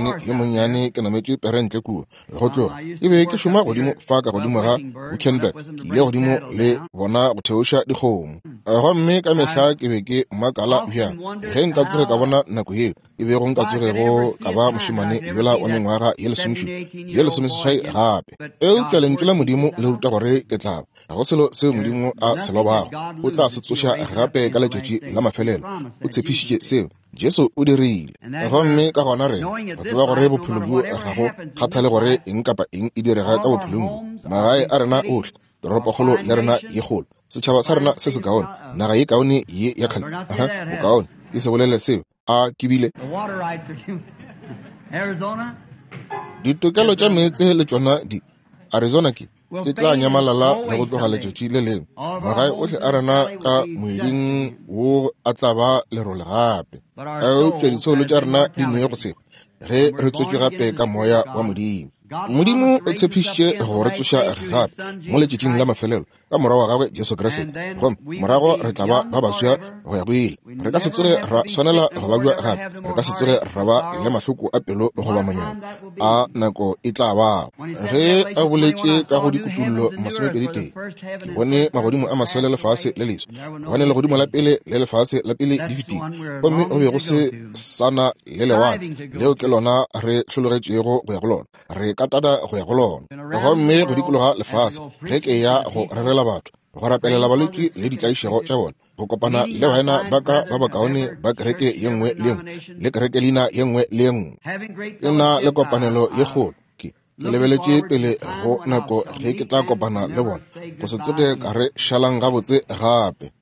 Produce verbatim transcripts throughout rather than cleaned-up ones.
mošemane yo monnyane ke nametše pere ntle kua go tloga ke be ke šoma godimo fa ka godimo ga Wickenburg, ke ile godimo le bona go theoša dikgomo. Gomme ka mehla ke be ke makala bjang ge nka tsoge ka bona nako yeo e bego nka tsogego ka ba mošemane yola wa mengwaga ye lesomešupa ye lesomeseswai gape. Eupša lentšu la Modimo le ruta gore ke tla ba. Ga go selo seo Modimo a se lobago, o tla se tsoša gape ka letšatši la mafelelo. O tshepišitše seo, Jesu o dirile. Gomme ka gona rena re tseba gore bophelo bjo ga go kgathale gore eng kapa eng e direga ka bophelong bjo, magae a rena ohle, toropokgolo ya rena ye kgolo, Setšhaba sa rena se se kaone, naga ye kaone ye ya kgale. Aha, bokaone ke se bolele seo. A ke bile ditokelo tša meetse le tšona di Arizona ke di tla nyamalala le go tloga letšatši le lengwe. Magae ohle a rena ka moeding wo a tla ba lerole gape. Eupša disoulo tša rena di ne go seba ge re tswetšwe gape ka moya wa Modimo. Modimo o tshepišitše go re tsoša gape mo letšatšing la mafelelo ka morwa wa gagwe Jesu Kriste, gomme morago re tla ba ba baswa go ya go ile. Re ka se tsoge ra swanela go babja gape, re ka se tsoge ra ba le mahloko a pelo goba manyami a nako e tla ba. Ge a boletše ka go dikutullo masomepedi tee, ke bone magodimo a maswa le lefase le leswa, gobane legodimo la pele le lefase la pele di fetile, gomme go be go se sana le lewatle leo ke lona re hlologetšego go ya go lona, re katana go ya go lona. Gomme go dikologa lefase ge ke ya go rerela batho, go rapelela balwetši le ditlaišego tša bona, go kopana le baena ba ka ba bakaone ba kereke ye nngwe le nngwe le kereke leina ye nngwe le ye nngwe. Ke na le kopanelo ye kgolo. Ke lebeletše pele go nako ge ke tla kopana le bona, go se tsoge ka re šalang gabotse gape.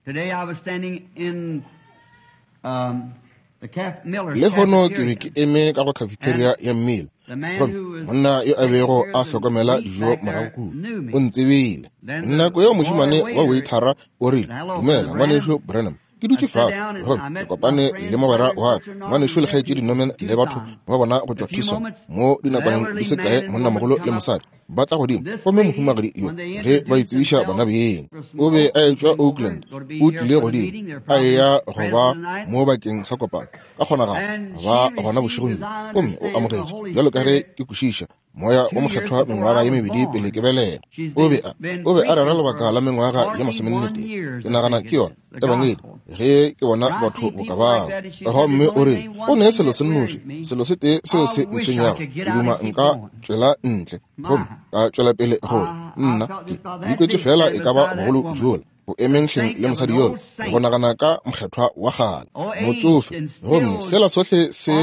Lehono ke be ke eme ka go cafeteria ya mmele, gomme monna yo a bego a hlokomela dijo morago kua o ntsebile. Nako yeo mošemane wa waitara o rile, "Dumela ngwanešu Branham." Ke dutše fase gomme ke kopane le mogwera wa ka, ngwanešu le kgaetšedi Norman le batho ba bona go tšwa Tucson. Mo dinakwaneng di se kae monnamogolo le mosadi ba tla godimo, gomme mohumagadi yo ge ba itsebiša bona beng, o be a etšwa Oakland, o tlile godimo a eya go ba mo bakeng sa kopano ka kgonagalo ba gona bošegong bjo, gomme o amogetše bjalo ka ge ke kwešiša moya o mokgethwa mengwaga ye mebedi pele ke belega. O be a o be a rera lebaka la mengwaga ye masomenne tee, ke nagana ke yona ebangedi ge ke bona batho boka bao. Gomme o re o ne selo se nnoši, selo se tee seo se ntshwenyago, ke duma nka tšwela ntle gomme ka tšwela pele go nna ke ikwetše fela e ka ba bogolo bjola go emeng hleng le mosadi yola, go nagana ka mokgethwa wa kgale motšofe, gomme sela sohle se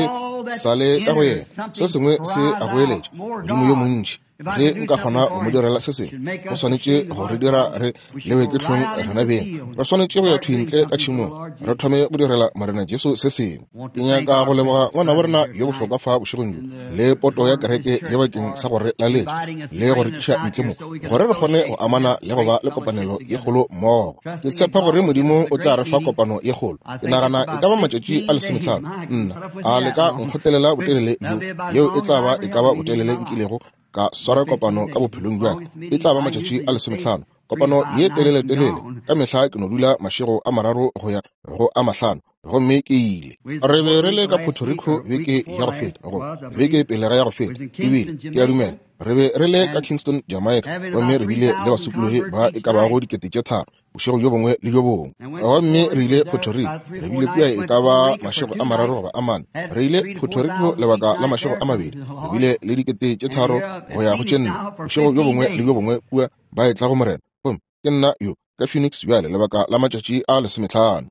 sa le ka go yena, se sengwe se a goeletša Modimo yo montši. Ge nka kgona go mo direla se sengwe, go swanetše go re dira re lewe ke hlong rena beng. Re swanetše go ya thwi ntle ka tšhemong, re thome go direla Morena Jesu se sengwe. Ke nyaka go leboga ngwana wa rena yo bohlokwa fa bošegong bjo le poto ya kereke ye bakeng sa go re laletša le go re tliša ntle mo, gore re kgone go amana le go ba le kopanelo ye kgolo mmogo. Ke tshepa gore Modimo o tla re fa kopano ye kgolo. Ke nagana e ka ba matšatši a lesomehlano. Nna a le ka nkgotlelela botelele bjo, yeo e tla ba e ka ba botelele nkilego ka swara kopano ka bophelong bja ka. E tla ba matšatši a lesomehlano, kopano ye telele-telele. Ka mehla ke no dula mašego a mararo go ya go a mahlano, gomme ke ile. Re be re le ka Puerto Rico beke ya go feta, goba beke pele ga ya go feta, ebile ke a dumela re be re le ka Kingston, Jamaica, gomme re bile le basokologi ba e ka bago dikete tše tharo bošego bjo bongwe le bjo bongwe. Gomme re ile Puerto Rico, re bile kua e ka ba mašego a mararo goba a mane. Re ile Puerto Rico lebaka la mašego a mabedi, re bile le dikete tše tharo go ya go tše nne bošego bjo bongwe le bjo bongwe kua ba etla go Morena. Gomme ke nna yo ka Phoenix bjale lebaka la matšatši a lesomehlano.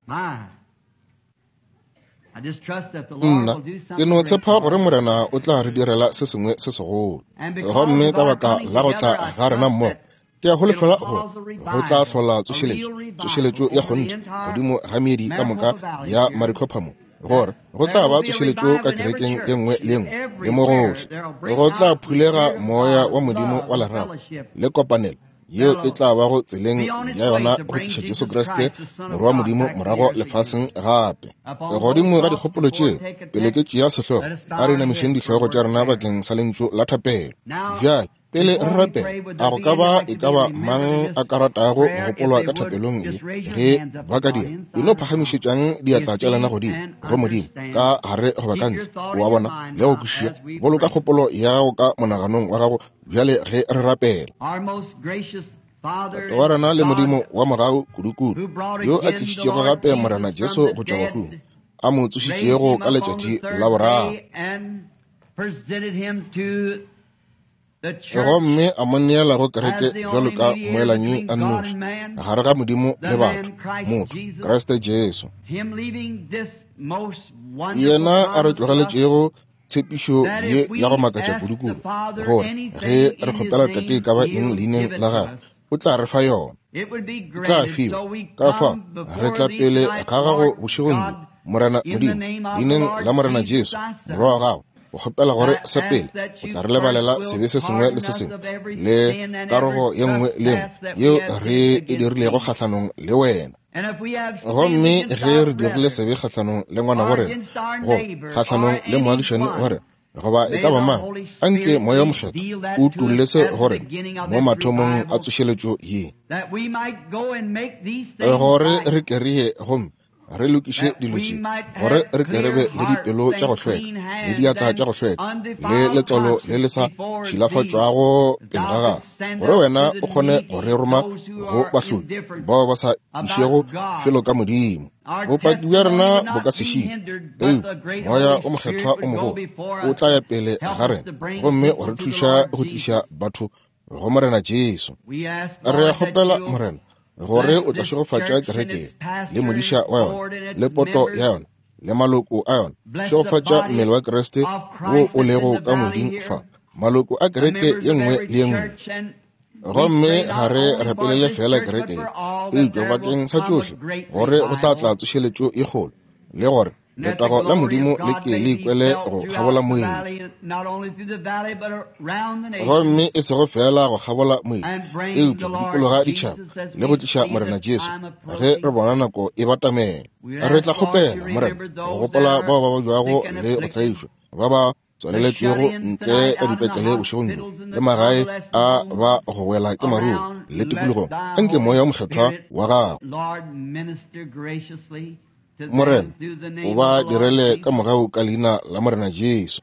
Nna ke no tshepa gore Morena o tla re direla se sengwe se segolo. Gomme ka baka la go tla ga rena mmogo, ke a holofela gore go tla hlola tsošeletšo, tsošeletšo ya kgonthe godimo ga meedi ka moka ya Maricopa mo, gore go tla ba tsošeletšo ka kerekeng ye nngwe le nngwe le mo gohle. Go tla phulega moya wa Modimo wa lerato le kopanelo yeo e tla bago tseleng ya yona go tliša Jesu Kriste morwa wa Modimo morago lefaseng gape. Godimo ga dikgopolo tšeo, pele ke tšea sehlogo, a re inamišeng dihlogo tša rena bakeng sa lentšu la thapelo. Bjale pele re rapela, a go ka ba e ka ba mang a ka ratago go gopolwa ka thapelong ye? Ge ba ka dira, e no phagamišetšang diatla tša lena godimo go Modimo ka gare goba ka ntle, o a bona, le go kwešiša. Boloka kgopolo ya gago ka monaganong wa gago bjale ge re rapela. Tate wa rena le Modimo wa mogau kudu-kudu, yo a tlišitšego gape Morena Jesu go tšwa bahung, a mo tsošitšego ka letšatši la boraro, gomme a mo neela go kereke bjalo ka moelanyi a nnoši gare ga Modimo le batho, motho Kriste Jesu, yena a re tlogeletšego tshepišo ye ya go makatša kudu-kudu, gore ge re kgopela Tate e ka ba eng leineng la gagwe, o tla re fa yona. E tla fiwa. Ka fao re tla pele ga gago bošegong bjo, Morena Modimo, leineng la Morena Jesu, Morwa wa gago, o kgopela gore sa pele o tla re lebalela sebe se sengwe le se sengwe le karogo ye nngwe le nngwe yeo re e dirilego kgahlanong le wena. Gomme ge re dirile sebe kgahlanong le ngwana wa rena, goba kgahlanong le moagišani wa rena, goba e ka ba mang, anke Moya o Mokgethwa o utolle se go rena mo mathomong a tsošeletšo ye, gore re ke re ye gomme re lokiše dilo tše, gore re ke re be le dipelo tša go hlweka le diatla tša go hlweka le letswalo le le sa tšhilafatšwago pele ga gago, gore wena o kgone go re roma go bahloki bao ba sa išego felo ka Modimo. Bopaki bja rena bo ka se šitwe, eupša Moya o Mokgethwa o mogolo o tla ya pele ga rena gomme wa re thuša go tliša batho go Morena Jesu. Re a kgopela, Morena, gore o tla šegofatša kereke le modiša wa yona le poto ya yona le maloko a yona. Šegofatša mmele wa Kriste wo o lego ka moeding fa, maloko a kereke ye nngwe le ye nngwe. Gomme ga re rapelele fela kereke ye, eupša bakeng sa tšohle, gore go tla tla tsošeletšo e kgolo, le gore letago la Modimo le ke le ikwele go kgabola moedi. Gomme e sego fela go kgabola moedi, eupša go dikologa ditšhaba le go tliša Morena Jesu ge re bona nako e batamela. Re tla kgopela, Morena, go gopola bao ba babjago le go tlaišwa, ba ba tswaleletšwego ntle ka dipetlele bošegong bjo, le magae a ba go wela ke maruru le tikologong. Anke Moya o Mokgethwa wa gago, Morena, o ba direle ka mogau ka leina la Morena Jesu.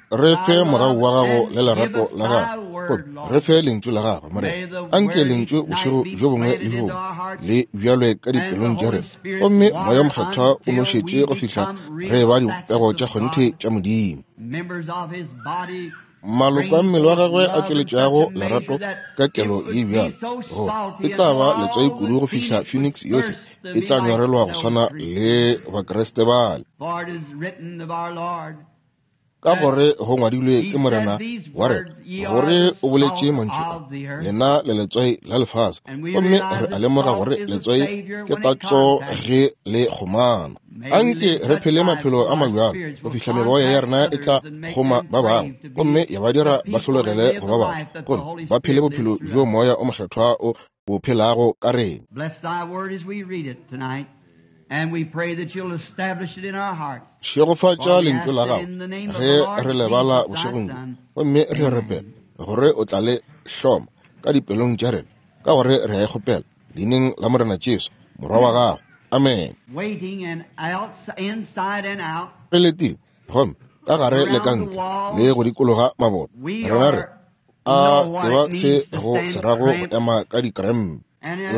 Re fe mogau wa gago le lerato la gago, gomme re fe lentšu la gago, Morena. Anke lentšu bošego bjo bongwe le bjo bongwe le bjalwe ka dipelong tša rena, gomme Moya o Mokgethwa o nošetše go fihla re ba dipego tša kgonthe tša Modimo, maloko a mmele wa gagwe a tšweletšago lerato ka kelo ye bjalo, gore e tla ba letswai kudu go fihla Phoenix yohle e tla nyorelwa go swana le Bakriste bale. Ka gore go ngwadilwe ke Morena wa rena, gore o boletše mantšu a, lena le letswai la lefase. Gomme re a lemoga gore letswai ke tatso ge le kgomana. Anke re phele maphelo a mabjalo go fihla meboya ya rena e tla kgoma ba bangwe, gomme ya ba dira ba hlologele go ba batho, gomme ba phele bophelo bjo Moya o Mokgethwa o bo phelago ka rena. Šegofatša lentšu la gago ge re le bala bošegong bjo, gomme re rapela gore o tla le hloma ka dipelong tša rena, ka gore re a e kgopela leineng la Morena Jesu, Morwa wa gago. Amen. Re letile gomme ka gare le ka ntle le go dikologa maboto, rena re a tseba se go se rago go ema ka dikrempe,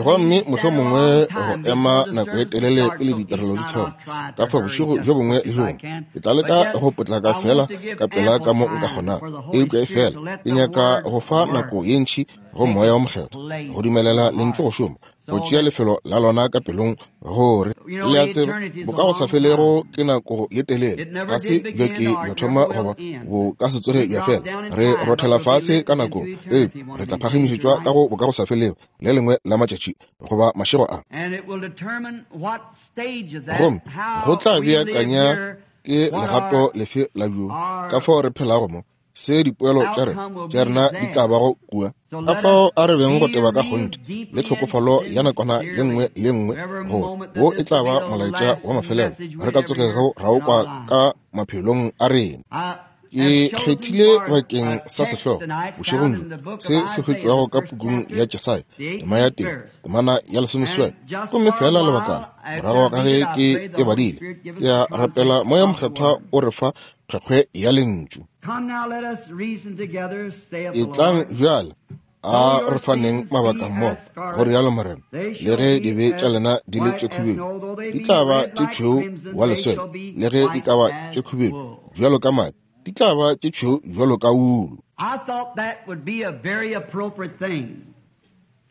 gomme mohlomongwe go ema nako e telele pele ditirelo di thoma. Ka fa bošego bjo bongwe le bjo bongwe ke tla leka go potlaka fela ka pela ka mo nka kgonago, eupša e fela ke nyaka go fa nako ye ntši go Moya o Mokgethwa go dumelela lentšu go šoma, go tšea lefelo la lona ka pelong, gore le a tseba bo ka go sa felego ke nako ye telele, ga se bja ke bja thoma goba bo ka se tsoge bja fela. Re rothela fase ka nako, eupša re tla phagamišetšwa ka go bo ka go sa felego le lengwe la matšatši goba mašego a. Gomme go tla beakanya ke legato lefe la bjo ka fao re phelago mo, se dipoelo tša rena tša rena di tla bago kua. Ka fao a re beng go teba ka kgonthe le tlhokofalo ya nakwana ye nngwe le nngwe, gore wo e tla ba molaetša wa mafelelo re ka tsogego ra o kwa ka maphelong a rena. Ke kgethile bakeng sa sehlogo bošegong bjo se se hwetšwago ka pukung ya Jesaya, tema ya tee, temana ya lesomeseswai. Gomme fela lebakana morago ga ge ke e badile, ke a rapela Moya Mokgethwa o re fa kgwekgwe ya lentšu. Etlang bjale, a re faneng mabaka mmogo, go rialo Morena, le ge dibe tša lena di le tše khubedu, di tla ba tše tšhweu wa leswele, le ge di ka ba tše khubedu bjalo ka madi, di tla ba tše tšhweu bjalo ka wulu. I thought that would be a very appropriate thing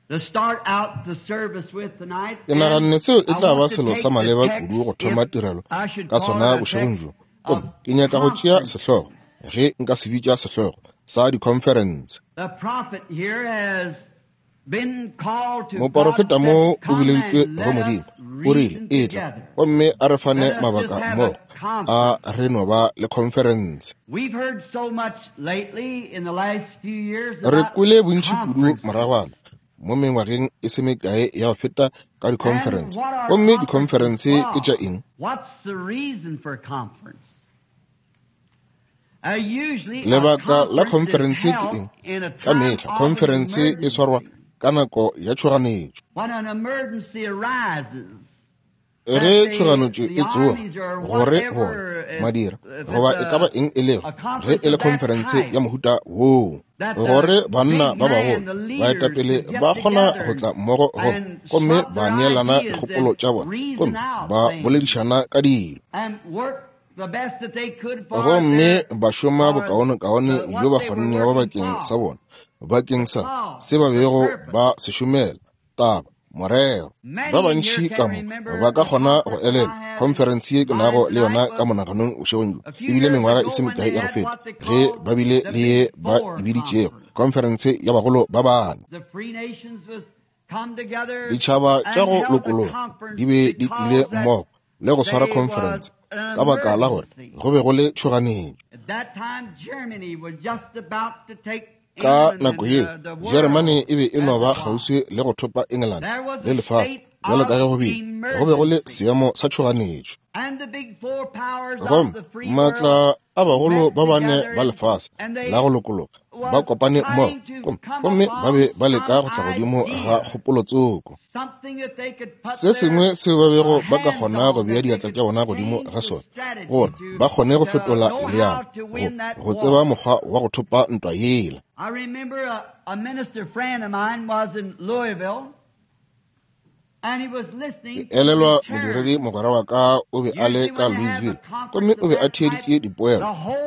to start out the service with tonight. Ke naganne seo e tla ba selo sa maleba kudu go thoma tirelo ka sona bošegong bjo. Gomme ke nyaka go tšea sehlogo, ge nka se bitša sehlogo, sa dikhonferense. Moporofeta mo o bileditšwe go Modimo, o rile, etla gomme a re fane mabaka mmogo, a re no ba le khonferense. Re kwele bontši kudu moragwana mo mengwageng e se mekae ya go feta ka dikhonferense. Gomme dikhonferense ke tša eng? Lebaka la khonferense ke eng? Ka mehla khonferense e swarwa ka nako ya tšhoganetšo. Ge tšhoganetšo e tsoga, gore bona madira goba e ka ba eng e lego, ge e le khonferense ya mohuta woo, gore banna ba bagolo baetapele ba kgona go tla mmogo gomme gomme ba neelana dikgopolo tša bona gomme ba boledišana ka dilo, gomme ba šoma bokaonekaone bjo ba kgonnego bakeng sa bona, bakeng sa se ba bego ba se šomela, taba, morero. Ba bantši ka mo ba ka kgona go elelwa khonferense ye ke nago le yona ka monaganong bošegong bjo. E bile mengwaga e se mekae ya go feta ge ba bile le ye ba e biditšego khonferense ya bagolo ba bane. Ditšhaba tša go lokologa di be di tlile mmogo le go swara khonferense ka baka la gore go be go le tšhoganetšo. Ka nako yeo Jeremane e be e no ba kgauswi le go thopa England le lefase bjalo ka ge go bile, go be go le seemo sa tšhoganetšo. Gomme maatla a bagolo ba bane ba lefase la go lokologa ba kopane mmogo gomme ba be ba leka go tla godimo ga kgopolotsoko, se sengwe seo ba bego ba ka kgona go bea diatla tša bona godimo ga sona gore ba kgone go fetola leano, go, go tseba mokgwa wa go thopa ntwa yela. Ke elelwa modiredi mogwera wa ka o be a le ka Louisville, gomme o be a theeditše dipoelo.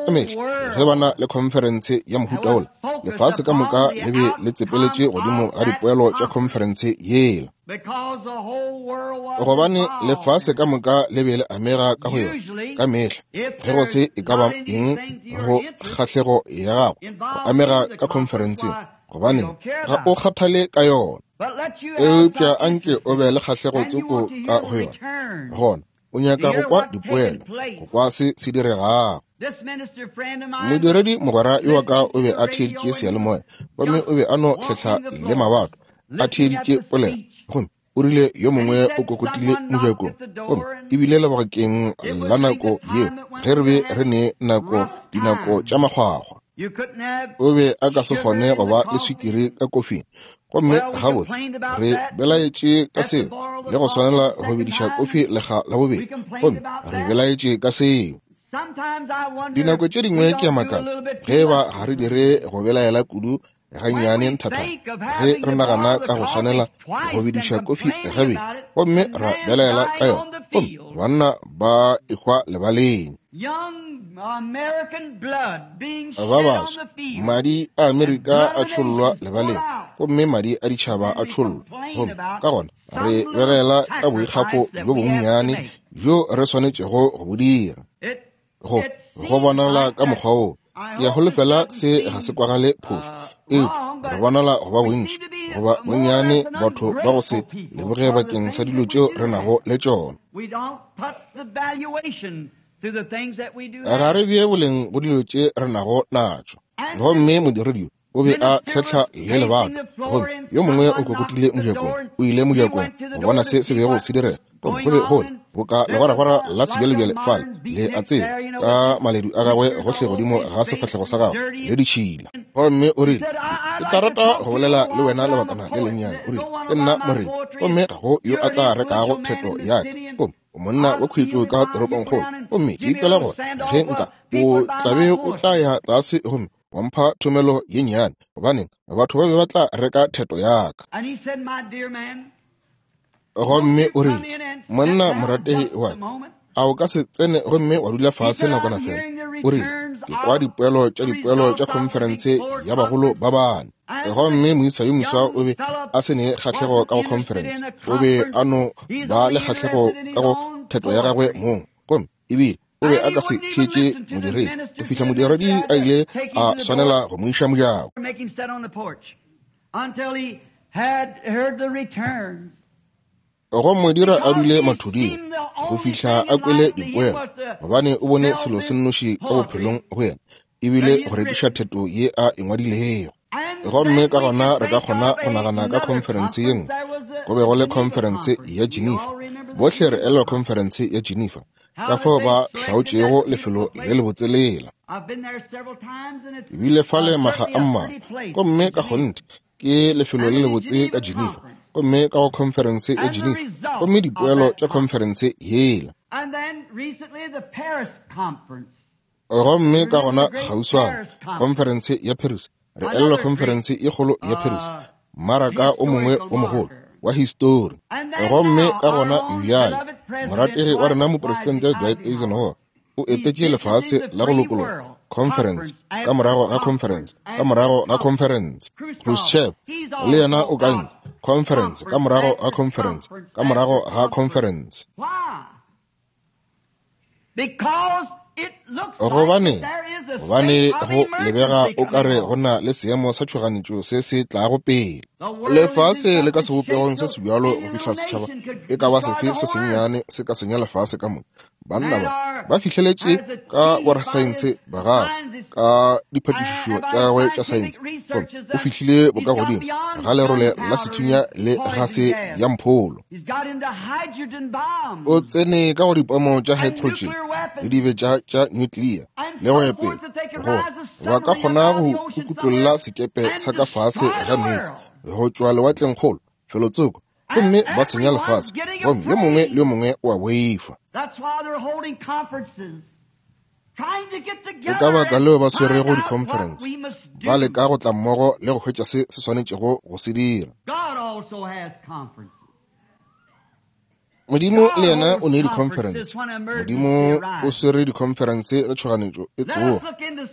Ka mehla ge ba na le khonferense ya mohuta wola, lefase ka moka le be le tsepeletše godimo ga dipoelo tša khonferense yela, gobane lefase ka moka le be le amega ka go yona. Ka mehla ge go se e ka ba eng go kgahlego ya gago go amega ka khonferenseng, gobane ga o kgathale ka yona. Eupša anke o be le kgahlego tsoko ka go yona, gona o nyaka go kwa dipoelo, go kwa se se diregago. Modiredi mogwera yo wa ka o be a theeditše seyalemoya, gomme o be a no tlhehla le mabato a theeditše polelo, gomme o rile yo mongwe o kokotile mojakong, gomme ebile lebakeng la nako yeo ge re be re ne nako dinako tša makgwakgwa, o be a ka se kgone go ba le swikiri ka kofing. Gomme gabotse re belaetše ka seo le go swanela go bediša kofi lekga la bobedi, gomme re belaetše ka seo. Dinako tše dingwe ke a makala ge ba ga re dire go belaela kudu gannyane nthathana ge re nagana ka go swanela go bediša kofi gabedi, gomme ra belaela ka yona, gomme banna ba ehwa lebaleng. Ba baswa, madi a Amerika a tšhollwa lebaleng, gomme madi a ditšhaba a tšhollwa, gomme ka gona re belaela ka boikgafo bjo bonnyane bjo re swanetšego go bo dira. Go go bonala ka mokgwa woo, ke a holofela se ga se kwagale phošo, eupša re bonala go ba bontši goba bonnyane batho ba go se leboge bakeng sa dilo tšeo re nago le tšona. Ga re bee boleng go dilo tše re nago natšo. Gomme modiredi o be a tlhehla le lebato, gomme yo mongwe o kokotile mojakong, o ile mojakong go bona se se bego se direga, gomme go be go le boka legwaragwara la sebjalebjale fale, le a tseba, ka maledu a gagwe gohle godimo ga sefahlego sa gagwe le ditšhila. Gomme o rile, ke tla rata go bolela le wena lebakana le lennyane. O rile, ke nna morei, gomme ga go yo a tla rekago theto ya ka. Gomme o monna wa khwetšo ka toropongkgolo, gomme ke ikwela gore ge nka o tlabe o tla ya tlase gomme wa mpha thomelo ye nnyane, gobaneng batho ba be ba tla reka theto ya ka. Gomme o rile, monna morategi wa ka, a o ka se tsene gomme wa dula fase nakwana fela? O rile, ke kwa dipoelo tša dipoelo tša khonferense ya bagolo ba bane. Gomme moisa yo moswa o be a se ne kgahlego ka go khonferense, o be a no ba le kgahlego ka go theto ya gagwe mong, gomme ebile O be a ka se theetše modiredi go fihla modiredi a ile a swanela go mo iša mojako. Go mo dira a dule mathuding go fihla a kwele dipoelo, gobane o bone selo se nnoši ka bophelong go yena ebile go rekiša theto ye a e ngwadilego. Gomme ka gona re ka kgona go nagana ka khonferense ye nngwe. Go be go le khonferense ya Geneva. Bohle re elelwa khonferense ya Geneva, ka fao ba hlaotšego lefelo le lebotse lela. Ke bile fale makga a mmalwa, gomme ka kgonthe ke lefelo le lebotse ka Geneva, gomme ka go khonferense ya Geneva, gomme dipoelo tša khonferense yela. Gomme ka gona kgauswana khonferense ya Paris, re elelwa khonferense e kgolo ya Paris, mmaraka o mongwe o mogolo wa histori. Gomme ka gona bjale morategi wa rena mopresidente Dwight Eisenhower o etetše lefase la go lokologa, conference ka morago ga conference ka morago ga conference. Khrushchev le yena o kantše conference ka morago ga conference ka morago ga conference. Gobane gobane go lebega o kare go na le seemo sa tšhoganetšo se se tlago pele. Lefase le ka sebopegong se sebjalo go fihla setšhaba e ka ba sefe se sennyane se ka senya lefase ka moka. Banna ba ba fihleletše ka borasaense ba gagwe, ka diphatišišo tša gagwe tša saense, gomme o fihlile bokagodimo ga lerole la sethunya le gase ya mpholo. O tsene ka go dipomo tša hydrogen le dibetša tša nuclear le go ya pele, gore ba ka kgona go kukutlolla sekepe sa ka fase ga meetse go tšwa lewatlengkgolo felotsoko, gomme ba senya lefase, gomme yo mongwe le yo mongwe o a boifa. Ke ka baka leo ba swerego dikhonferense, ba leka go tla mmogo le go hwetša se se swanetšego go se dira. Modimo le yena o ne dikhonferense. Modimo o swere dikhonferense ge tšhoganetšo e tsoga.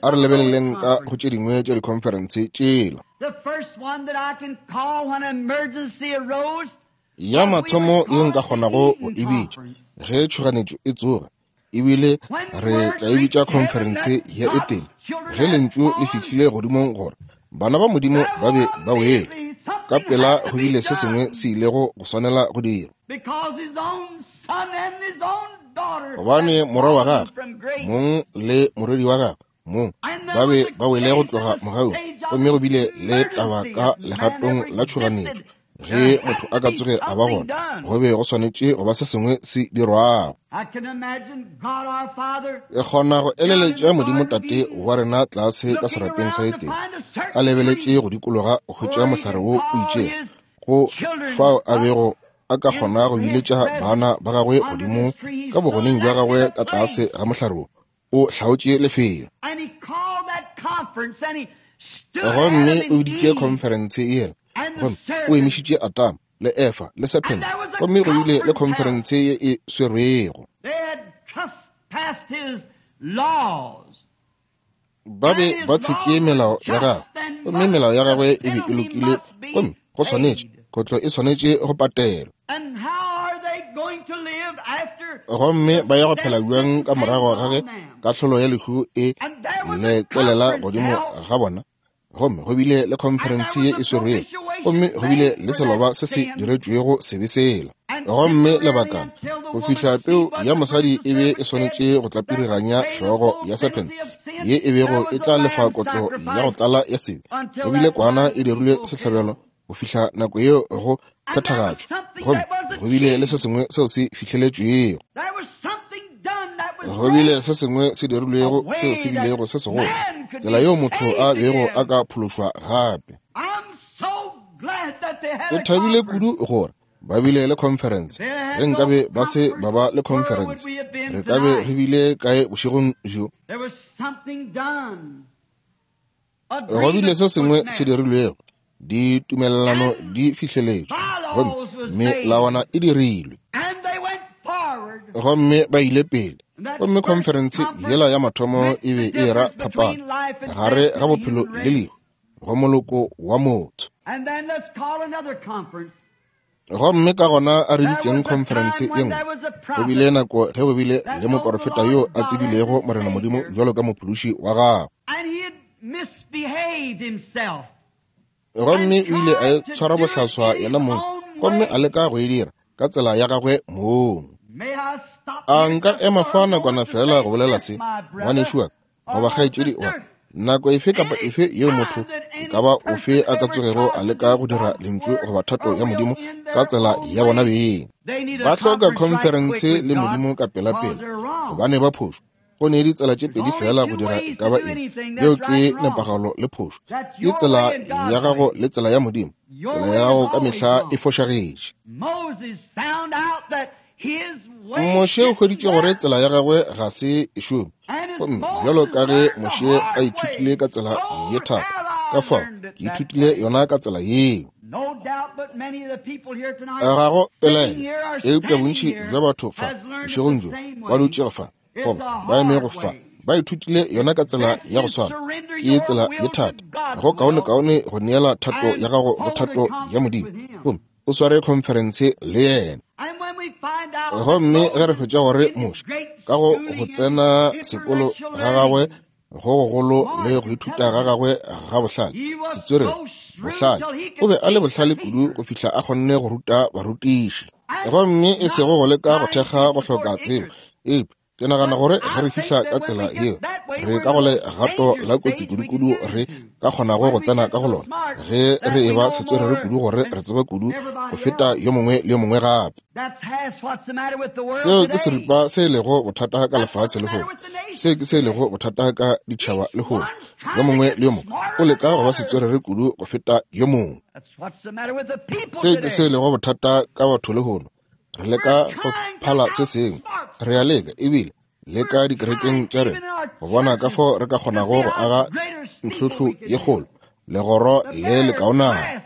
A re lebeleleng ka go tše dingwe tša dikhonferense tšela. Ya mathomo ye nka kgonago go e bitša ge tšhoganetšo e tsoga, ebile re tla e bitša khonferense ya Etene, ge lentšu le fihlile godimong gore bana ba Modimo ba be ba wele, ka pela go bile se sengwe se ilego go swanela go dirwa. Gobane morwa wa gagwe mong le morwedi wa gagwe mong ba be ba wele go tloga mogaung, gomme go bile le taba ka legatong la tšhoganetšo ge motho a ka tsoge a ba gona, go be go swanetše go ba se sengwe se dirwago. Ke kgona go eleletša Modimo Tate wa rena tlase ka serapeng sa Etene, a lebeletše go dikologa go hwetša mohlare wo o itšego, go fao a bego a ka kgona go biletša bana ba gagwe godimo ka bogoneng bja gagwe ka tlase ga mohlare wo o hlaotše lefelo. Gomme o biditše khonferense yela, gomme o emišitše Adama le Efa le Serpent, gomme go bile le khonferense ye e swerwego. Ba be ba tshetše melao ya gagwe, gomme melao ya gagwe e be e lokile, gomme go swanetše kotlo e swanetše go patelwa. Gomme ba ya go phela bjang ka morago ga ge kahlolo ya lehu e lekelela godimo ga bona? Gomme go bile le khonferense ye e swerwego, gomme go bile le seloba se se diretšwego sebe sela. Gomme lebakana go fihla peu ya mosadi e be e swanetše go tlapiriganya hlogo ya serpent ye e bego e tla lefa kotlo ya go tlala ya sebe, go bile kwana e dirilwe sehlabelo go fihla nako yeo go phethagatšwa, gomme go bile le se sengwe seo se fihleletšwego. Go bile se sengwe se dirilwego seo se bilego se segolo, tsela yeo motho a bego a ka phološwa gape. Ke thabile kudu gore ba bile le conference. Ge nkabe ba se ba ba le conference, re ka be re bile kae bošegong bjo? Go bile se sengwe se dirilwego, ditumelelano di fihleletšwe, gomme melawana e dirilwe, gomme ba ile pele. Gomme conference yela ya mathomo e be e ra phapano gare ga bophelo le lehu go moloko wa motho. Gomme ka gona a re bitšeng khonferense ye nngwe. Go bile nako ge go bile le moporofeta yo a tsebilego Morena Modimo bjalo ka mophološi wa gagwe. Gomme o ile a tshwara bohlaswa yena mong, gomme a leka go e dira ka tsela ya gagwe mong. A nka ema fa nakwana fela go bolela se, ngwanešu wa ka goba kgaetšedi wa ka. Nako efe kapa efe yeo motho e ka ba ofe a ka tsogego a leka go dira lentšu goba thato ya Modimo ka tsela ya bona beng, ba hloka khonferense le Modimo ka pelapela, gobane ba phošo. Go ne ditsela tše pedi fela go dira e ka ba eng, yeo ke nepagalo le phošo. Ke tsela ya gago le tsela ya Modimo. Tsela ya gago ka mehla e fošagetše. Moshe o hweditše gore tsela ya gagwe ga se e šome. Gomme bjalo ka ge Moshe a ithutile ka tsela ye thata, ka fao ke ithutile yona ka tsela yeo. Ga go pelaelo, eupša bontši bja batho fa bošegong bjo ba dutšego fa goba ba emego fa ba ithutile yona ka tsela ya go swana. Ke tsela ye thata. Go kaonekaone go neela thato ya gago go thato ya Modimo, gomme o sware khonferense le yena. Gomme ge re hwetša gore Moshe ka go go tsena sekolo ga gagwe go gogolo le go ithuta ga gagwe ga bohlale, setswerere, bohlale, o be a le bohlale kudu go fihla a kgonne go ruta barutiši. Gomme e sego go leka go thekga go hloka tsebo, eupša ke nagana gore ge re fihla ka tsela yeo, re ka go legato la kotsi kudu-kudu re ka kgonago go tsena ka go lona, ge re eba setswerere kudu gore re tseba kudu go feta yo mongwe le yo mongwe gape. Seo ke seripa se e lego bothata ka lefase lehono. Seo ke se e lego bothata ka ditšhaba lehono. Yo mongwe le yo mongwe o leka go ba setswerere kudu go feta yo mongwe. Seo ke se e lego bothata ka batho lehono. Re leka go phala se sengwe. Re a leka ebile le ka dikerekeng tša rena go bona ka fao re ka kgonago go aga ntlhohlo ye kgolo, legoro le lekaonana,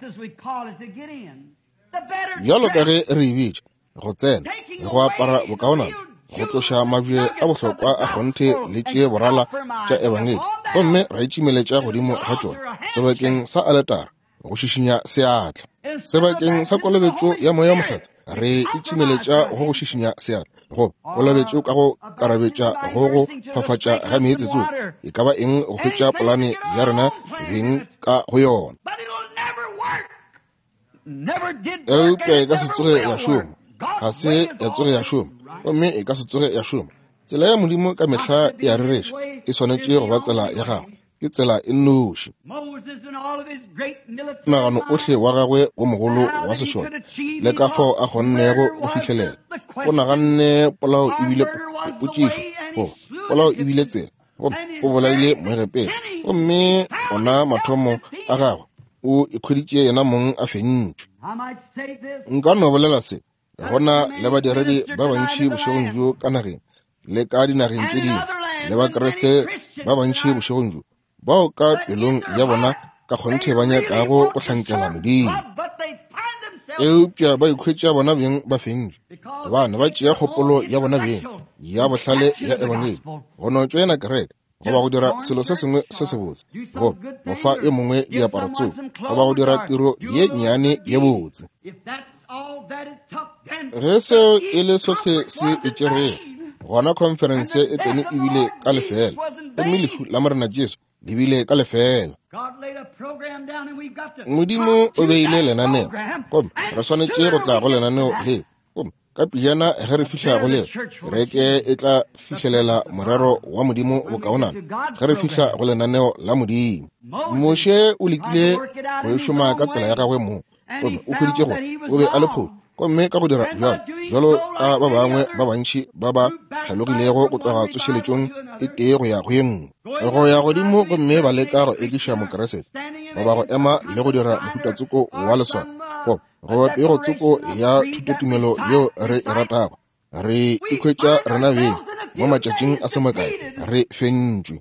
bjalo ka ge re e bitša, go tsena, go apara bokaonana, go tloša mabje a bohlokwa a kgonthe le tše borala tša ebangedi, gomme ra itšimeletša godimo ga tšona sebakeng sa aletara go šišinya seatla, sebakeng sa kolobetšo ya Moya o Mokgethwa re itšimeletša go go šišinya seatla, goba kolobetšo ka go karabetša go go fafatša ga meetse tsoko, e ka ba eng go hwetša polane ya rena beng ka go yona. Eupša e ka se tsoge ya šoma. Ga se ya tsoge ya šoma, gomme e ka se tsoge ya šoma. Tsela ya Modimo ka mehla e a rereša, e swanetše go ba tsela ya gagwe. Ke tsela e nnoši. Monagano ohle wa gagwe wo mogolo wa sešole le ka fao a kgonnego go fihlelela, o naganne polao ebile potšišo, goba polao ebile tsela, gomme o bolaile Moegepeta. Gomme ona mathomo a gagwe o ikhweditše yena mong a fentšwe. Nka no bolela se, gona le badiredi ba bantši bošegong bjo ka nageng le ka dinageng tše dingwe, le Bakriste ba bantši bošegong bjo bao ka pelong ya bona ka kgonthe ba nyakago go hlankela Modimo, eupša ba ikhwetša bona beng ba fentšwe, gobane ba tšea kgopolo ya bona beng ya bohlale ya ebangedi go no tšoena kereke, goba go dira selo se sengwe se sebotse, goba go fa e mongwe diaparo tsoko, goba go dira tiro ye nnyane ye botse. Ge seo e le sohle se e tšerego, gona khonferense e tene ebile ka lefela, gomme lehu la Morena Jesu le bile ka lefela. Modimo o beile lenaneo, gomme re swanetše go tla go lenaneo leo, gomme ka pejana ge re fihla go leo, kereke e tla fihlelela morero wa Modimo bokaonana ge re fihla go lenaneo la Modimo. Moshe o lekile go e šoma ka tsela ya gagwe mong, gomme o hweditše gore o be a le phošo. Gomme ka go dira bjalo, bjalo ka ba bangwe ba bantši ba ba tlhalogilego go tloga tsošeletšong e tee go ya go ye nngwe, go ya godimo gomme ba leka go ekiša Mokeresete, goba go ema le go dira mohutatsoko wa leswao, goba goba pegotsoko ya thutotumelo yeo re e ratago, re ikhwetša rena beng mo matšatšing a se makae re fentšwe,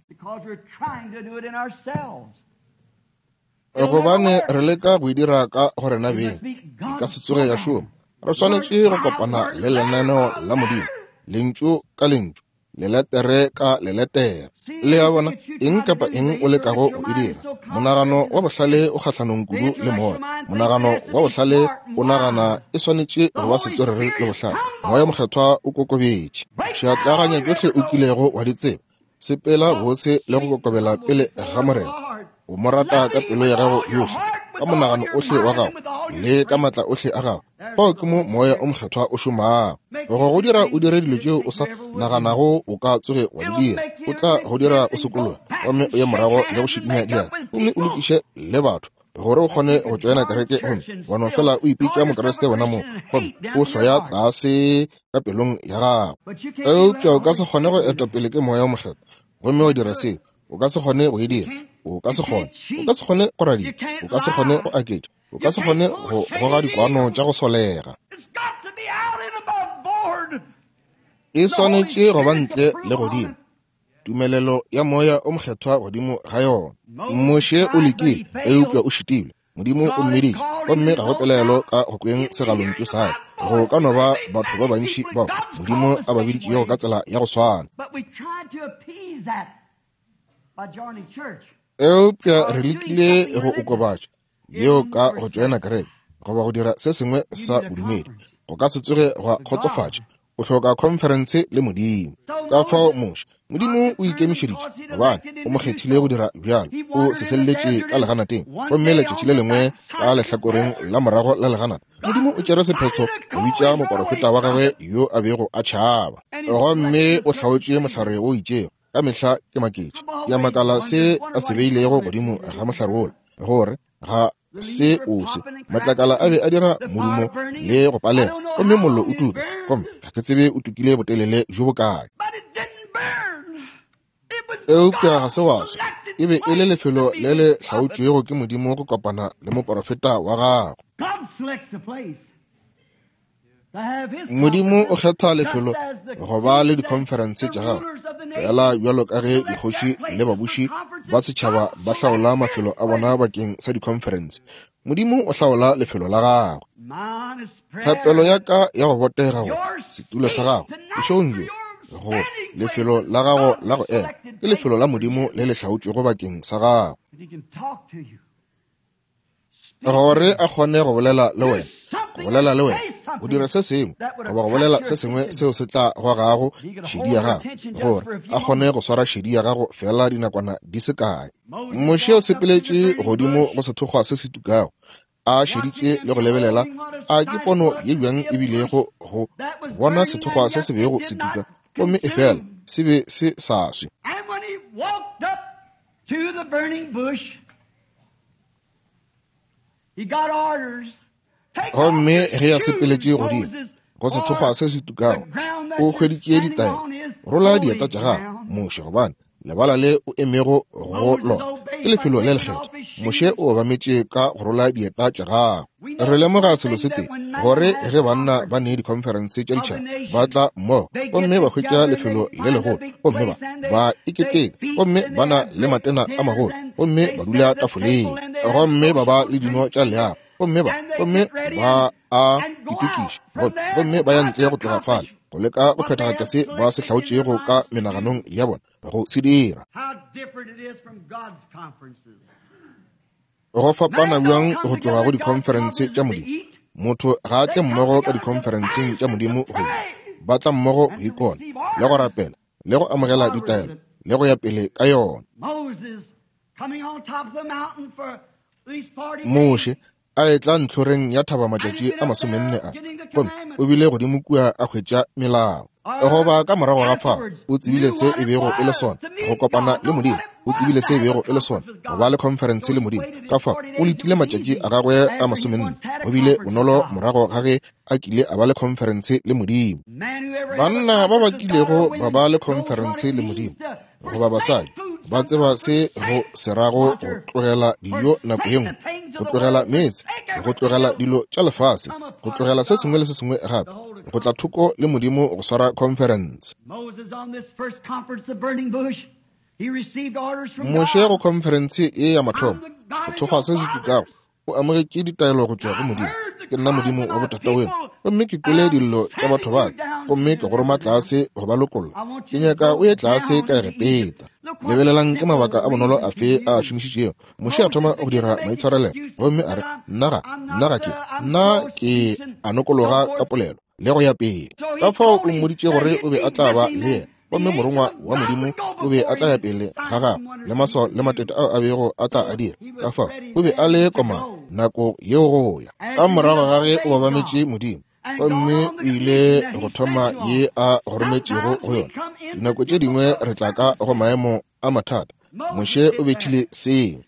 gobane re leka go e dira ka go rena beng. E ka se tsoge ya šoma. Re swanetše go kopana le lenaneo la Modimo, lentšu ka lentšu, Leletere ka leletere. Le a bona, eng kapa eng o lekago go e dira. Monagano wa bohlale o kgahlanong kudu le moya. Monagano wa bohlale o nagana e swanetše go ba setswerere le bohlale. Moya Mokgethwa o kokobetše. Pšhatlaganya tšohle o kilego wa di tseba. Sepela bose le go kokobela pele ga Morena. O mo rata ka pelo ya gago yohle, ka monagano ohle wa gago le ka matla ohle a gago. Fao ke mo Moya o Mokgethwa o šomago. Go go dira o dire dilo tšeo o sa naganago o ka tsoge wa di dira. O tla go dira o sokologe gomme o ye morago le go šikinya diatla gomme o lokiše le batho gore o kgone go tšoena kereke, gomme wa no fela o ipitša Mokriste wena mo, gomme o hloya tlase ka pelong ya gago. Eupša o ka se kgone go eta pele ke Moya o Mokgethwa gomme wa dira seo. O ka se kgone go e dira. O ka se kgone. O ka se kgone go radia. O ka se kgone go aketša. O ka se kgone go goga dikwano tša go solega. E swanetše go ba ntle le godimo. Tumelelo ya Moya o Mokgethwa godimo ga yona. Moshe o lekile, eupša o šitilwe. Modimo o mmiditše, gomme ga go pelaelo ka go kweng segalontšu sa gagwe. Go ka no ba batho ba bantši bao Modimo a ba biditšego ka tsela ya go swana. Eupša re lekile go okobatša yeo ka go tšoena kereke goba go dira se sengwe sa bodumedi. Go ka se tsoge gwa kgotsofatša. O hloka khonferense le Modimo. Ka fao Moshe, Modimo o ikemišeditše gobane o mo kgethile go dira bjalo. O seselletše ka leganateng, gomme letšatši le lengwe ka lehlakoreng la morago la leganata, Modimo o tšere sephetho go bitša moporofeta wa gagwe yo a bego a tšhaba, gomme o hlaotše mohlare o itšego. Ka mehla ke maketše, ke a makala se a se beilego godimo ga mohlare wola, gore ga se o se matlakala a be a dira modumo le go palela, gomme mollo o tuka, gomme ga ke tsebe o tukile botelele bjo bokae. Eupša ga se wa swa. E be e le lefelo le le hlaotšwego ke Modimo go kopana le moporofeta wa gagwe. Modimo o kgetha lefelo go ba le dikhonferense tša gagwe, fela bjalo ka ge dikgoši le babuši ba setšhaba ba hlaola mafelo a bona bakeng sa dikhonferense. Modimo o hlaola lefelo la gagwe. Thapelo ya ka ya go botega go setulo sa gago bošegong bjo, go lefelo la gago la go ema, ke lefelo la Modimo le le hlaotšwego bakeng sa gago, gore a kgone go bolela le wena, go bolela le wena, go dira se sengwe goba go bolela se sengwe seo se tla gogago šedi ya gago, gore a kgone go swara šedi ya gago fela dinakwana di se kae. Moshe o sepeletše godimo go sethokgwa se se tukago, a šeditše le go lebelela. A ke pono ye bjang e bilego go bona sethokgwa se se bego se tuka, gomme efela se be se sa swe. Gomme ge a sepeletše godimo go sethokgwa se se tukago, o hweditše ditaelo. Rola dieta tša gago, Moshe, gobane lebala le o emego go lona ke lefelo le lekgethwa. Moshe o obametše ka go rola dieta tša gagwe. Re lemoga selo se tee, gore ge banna ba ne dikhonferense tša ditšhaba ba tla mmogo gomme ba hwetša lefelo le legolo, gomme ba ba iketeka, gomme ba na le matena a magolo, gomme ba dula tafoleng, gomme ba ba le dino tša leago, gomme ba gomme ba a itokiša, gomme ba ya ntle go tloga fale go leka go phethagatša se ba se hlaotšego ka menaganong ya bona go se dira. Go fapana bjang go tloga go dikhonferense tša Modimo. Motho ga a tle mmogo ka dikhonferenseng tša Modimo go ba tla mmogo go ikona le go rapela le go amogela ditaelo le go ya pele ka yona. Moshe a etla ntlhoreng ya thaba matšatši a masomenne a, gomme o bile godimo kua a hwetša melao. Goba ka morago ga fao o tsebile se e bego e le sona go kopana le Modimo, o tsebile se e bego e le sona go ba le khonferense le Modimo. Ka fao o letile matšatši a gagwe a masomenne. Go bile bonolo morago ga ge a kile a ba le khonferense le Modimo. Banna ba ba kilego ba ba le khonferense le Modimo goba basadi ba tseba se go se rago go tlogela dijo nako ye nngwe, go tlogela meetse, go tlogela dilo tša lefase, go tlogela se sengwe le se sengwe gape, go tla thoko le Modimo go swara khonferense. Moshe go khonferense ye ya mathomo, sethokgwa se se tukago, o amogetše ditaelo go tšwa go Modimo. Ke nna Modimo wa botata weno, gomme ke kwele dillo tša batho ba ka, gomme ke go roma tlase go ba lokolla. Ke nyaka o ye tlase ka Egepeta. Lebelelang ke mabaka a bonolo afe a šomišitšego. Moshe a thoma go dira maitshwarelelo gomme a re, nna ga, nna ga ke, nna ke a nokologa ka polelo le go ya pele. Ka fao o mmoditše gore o be a tla ba le yena, gomme morongwa wa Modimo o be a tla ya pele ga gagwe le maswao le matete ao a bego a tla a dira. Ka fao o be a le koma nako yeo go ya. Ka morago ga ge o obametše Modimo, gomme o ile go thoma ye a go rometšego go yona. Dinako tše dingwe re tla ka go maemo a mathata. Moshe o bethile seo.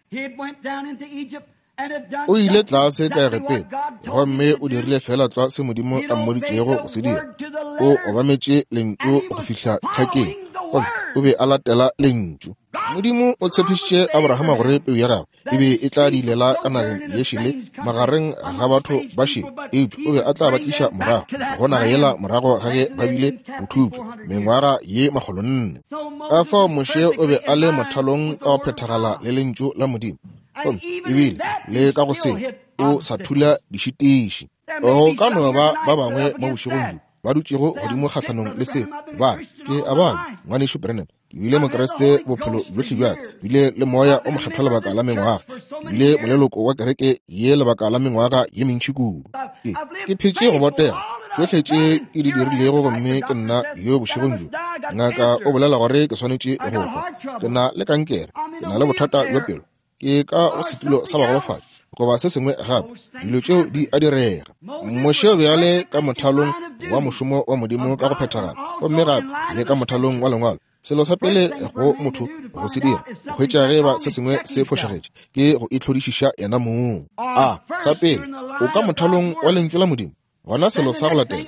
O ile tlase ka Egepeta gomme o dirile fela tlwa se Modimo a mmoditšego go se dira. O obametše lentšu go fihla tlhakeng, gomme o be a latela lentšu. Modimo o tshepišitše Abrahama gore peu ya gagwe e be e tla dilela ka nageng ye šele magareng ga batho ba šele, eupša o be a tla ba tliša morago go naga yela morago ga ge ba bile bothupša mengwaga ye makgolo nne. Ka fao Moshe o be a le mothalong ka go phethagala le lentšu la Modimo, gomme ebile le ka go se o sa thula dišitiši. Go ka no ba ba bangwe mo bošegong bjo ba dutšego godimo kgahlanong le seo, ba re, ke a bana ngwanešu Branham, ke bile Mokriste bophelo bjohle bja ka, bile le moya o mokgethwa lebaka la mengwaga, ke bile moleloko wa kereke ye lebaka la mengwaga ye mentši kudu. Ke, ke phetše go botega tšohle tše ke di dirilego, gomme ke nna yo bošegong bjo. Ngaka o bolela gore ke swanetše go hwa. Ke na le kankere, ke na le bothata bja pelo, ke ka go setulo sa bagolofadi goba se sengwe gape. Dilo tšeo di a direga. Moshe o be a le ka mothalong wa mošomo wa Modimo ka go phethagala, gomme gape le ka mothalong wa lengwalo. Selo sa pele go motho go se dira, go hwetša ge ba se sengwe se fošagetše, ke go itlhodišiša yena mong. A sa pele, o ka mothalong wa lentšu la Modimo. Gona selo sa go latela,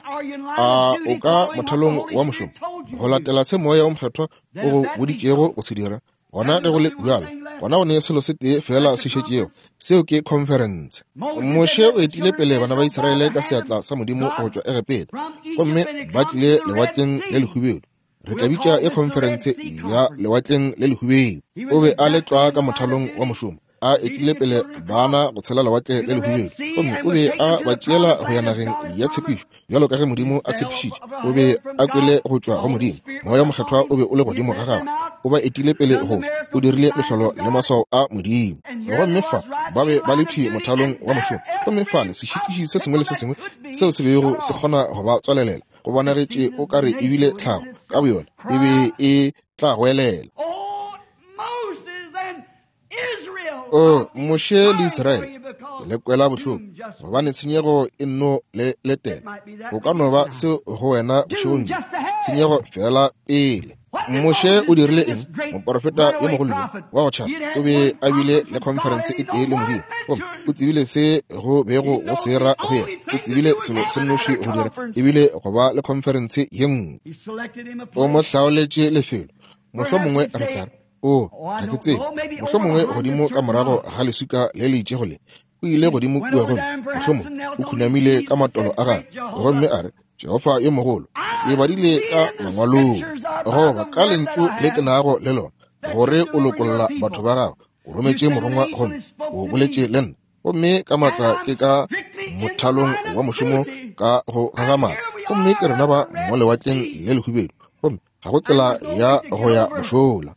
a o ka mothalong wa mošomo, go latela se moya o mokgethwa o go boditšego go se dira. Gona ge go le bjalo, gona go ne selo se tee fela se šetšego, seo ke conference. Moshe o etile pele bana ba Israele ka seatla sa Modimo go tšwa Egepeta, gomme ba tlile lewatleng le lehubedu. Re tla bitša e conference ya lewatleng le lehubedu. O be a le tlwa ka mothalong wa mošomo, a etile pele bana go tshela lewatle le lehubedu, gomme o be a ba tšeela go ya nageng ya tshepišo bjalo ka ge Modimo a tshepišitše. O be a kwele go tšwa go Modimo, moya o mokgethwa o be o le godimo ga gagwe, o ba etile pele go tšwa, o dirile mehlolo le maswao a Modimo. Gomme fa ba be ba le thwi mothalong wa mošomo, gomme fale sešitiši se sengwe le se sengwe seo se bego se kgona go ba tswalelela, go bonagetše o ka re ebile tlhago ka boyona e be e tla goelela. O Moshe le Israele, le kwela bohloko gobane tshenyego e nno le letela. Go ka no ba seo go wena bošegong bjo, tshenyego fela pele. Moshe o dirile eng? Moporofeta yo mogolo yo wa go tšhaba o be a bile le conference e tee le Modimo, gomme o tsebile se go bego go se ra go yena. O tsebile selo se nnoši go dira ebile go ba le conference ye nngwe. O mo hlaoletše lefelo. Mohlomongwe re tla re, o, ga ke tsebe, mohlomongwe godimo ka morago ga leswika le le itšego le. O ile godimo kua gomme mohlomongwe o khunamile ka matolo a gagwe, gomme a re, Jehofa yo mogolo, ke badile ka mangwalong, goba ka lentšu le ke nago le lona, gore o lokolla batho ba gago. O rometše morongwa gomme o boletše le nna, gomme ka matla ke ka mothalong wa mošomo ka go gagamala, gomme ke rena ba mo lewatleng le lehubedu, gomme ga go tsela ya go ya mošola.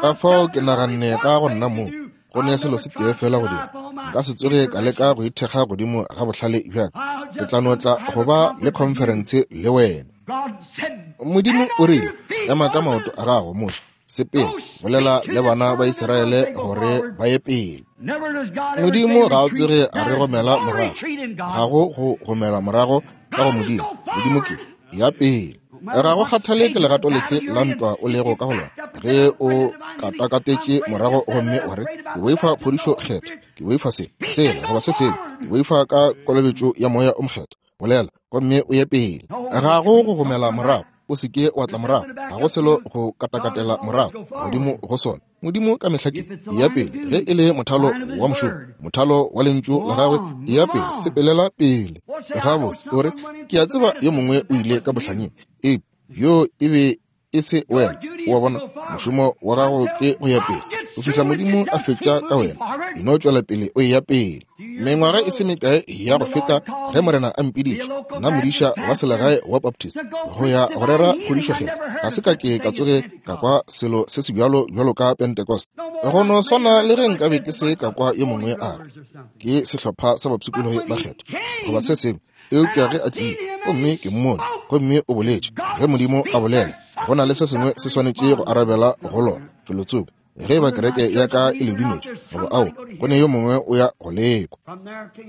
Ka fao ke naganne ka go nna moo, go ne selo se tee fela go dira. Nka se tsoge ka leka go ithekga godimo ga bohlale bja ka. Ke tla no tla go ba le conference le wena. Modimo o rile, ema ka maoto a gago, Moshe, sepela, bolela le bana ba Israele gore ba ye pele. Modimo ga a tsoge a re gomela morago. Ga go go gomela morago ka go Modimo. Modimo ke ya pele. Ga go kgathale ke legato lefe la ntwa o lego ka go lona, ge o katakatetše morago gomme wa re, ke boifa phodišo kgetho, ke boifa se, sela, goba se sengwe, ke boifa ka kolobetšo ya moya o mokgethwa, bolela gomme o ye pele. Ga go go gomela morago, o se ke wa tla morago, ga go selo go katakatela morago godimo go sona. Modimo ka mehla ke ya pele, ge e le mothalo wa mošomo, mothalo wa lentšu la gagwe, ya pele, sepelela pele. Gabotse o re, ke a tseba yo mongwe o ile ka bohlanyeng, eupša yo e be e se wena. O a bona, mošomo wa gago ke go ya pele. Go fihla Modimo a fetša ka wena, e no tšwela pele o eya pele. Mengwaga e se mekae ya go feta ge Morena a mpiditše, nna modiša wa selegae wa Baptist, go ya go rera phodišo-kgethwa, ga se ka ke ka tsoge ka kwa selo se se bjalo bjalo ka Pentecost. Go no swana le ge nkabe ke se ka kwa yo mongwe a re ke sehlopha sa bapshikologi ba kgethwa goba se sengwe, eupša ge a tlile gomme ke mmone gomme o boletše, ge Modimo a bolela, go na le se sengwe se swanetše go arabela go lona felotsoko. Ge ba kereke ya ka e le dumetše goba ao, go ne yo mongwe o ya go lekwa.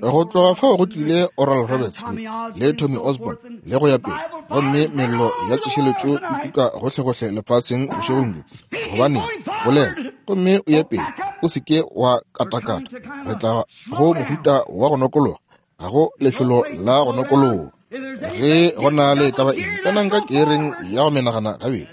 Go tloga fao go tlile Oral Roberts le, le Tommy Osborn le go ya pele, gomme mello ya tsošeletšo e tuka gohlegohle lefaseng bošegong bjo. Gobaneng, bolela gomme o ye pele, o se ke wa katakata. Re tla go mohuta wa go nokologa, ga go lefelo la go nokologa. Ge go na le ka ba eng, tsenang ka kereng ya go menagana gabedi,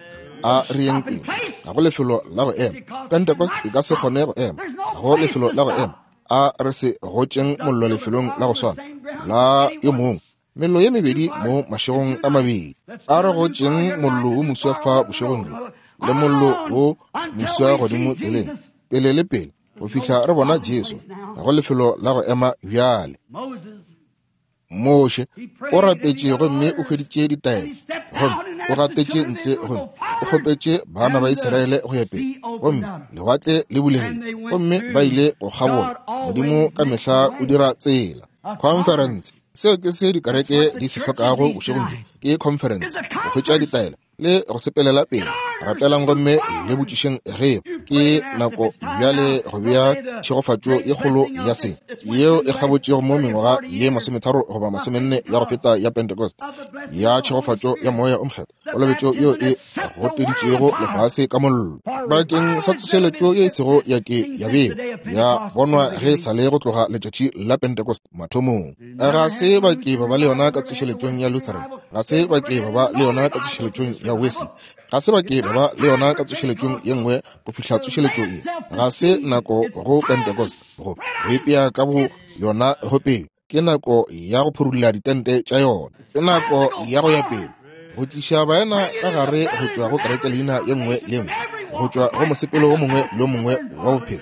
a re yeng pele. Ga go lefelo la go ema. Pentecost e ka se kgone go ema. Ga go lefelo la go ema. A re se gotšeng mollo lefelong la go swana la yo mongwe. Mello ye mebedi mo mašegong a mabedi. A re gotšeng mollo wo moswa fa bošegong bjo, le mollo wo moswa godimo tseleng, pele le pele, go fihla re bona Jesu. Ga go lefelo la go ema bjale. Moshe o rapetše gomme o hweditše ditaelo, gomme o gatetše ntle gomme o kgopetše bana ba Israele go ya pele, gomme lewatle le bulegile gomme ba ile go kgabola. Modimo ka mehla o dira tsela. Conference, seo ke se dikereke di se hlokago bošegong bjo, ke conference, go hwetša ditaelo le go sepelela pele. Rapelang gomme le botšišeng ge ke nako bjale go bea tšhegofatšo ye kgolo ya se yeo e kgabotšego mo mengwaga ye masometharo goba masomenne ya go feta ya Pentecost, ya tšhegofatšo ya Moya o Mokgethwa, kolobetšo yeo e goteditšego lefase ka mollo bakeng sa tsošeletšo ye e sego ya ke ya beo ya bonwa ge e sa le go tloga letšatši la Pentecost mathomong. Ga se ba ke ba ba le yona ka tsošeletšong ya Lutheran, ga se ba ke ba ba le yona ka tsošeletšong ya Wesley, ga se ba ke ba ba le yona ka tsošeletšong ye nngwe go fihla tsošeletšo ye. Ga se nako go Pentecost go go ipea ka bo yona go pele. Ke nako ya go phurulla ditente tša yona. Ke nako ya go ya pele, go tliša baena ka gare go tšwa go kereke leina ye nngwe le nngwe, go tšwa go mosepelo wo mongwe le mongwe wa bophelo,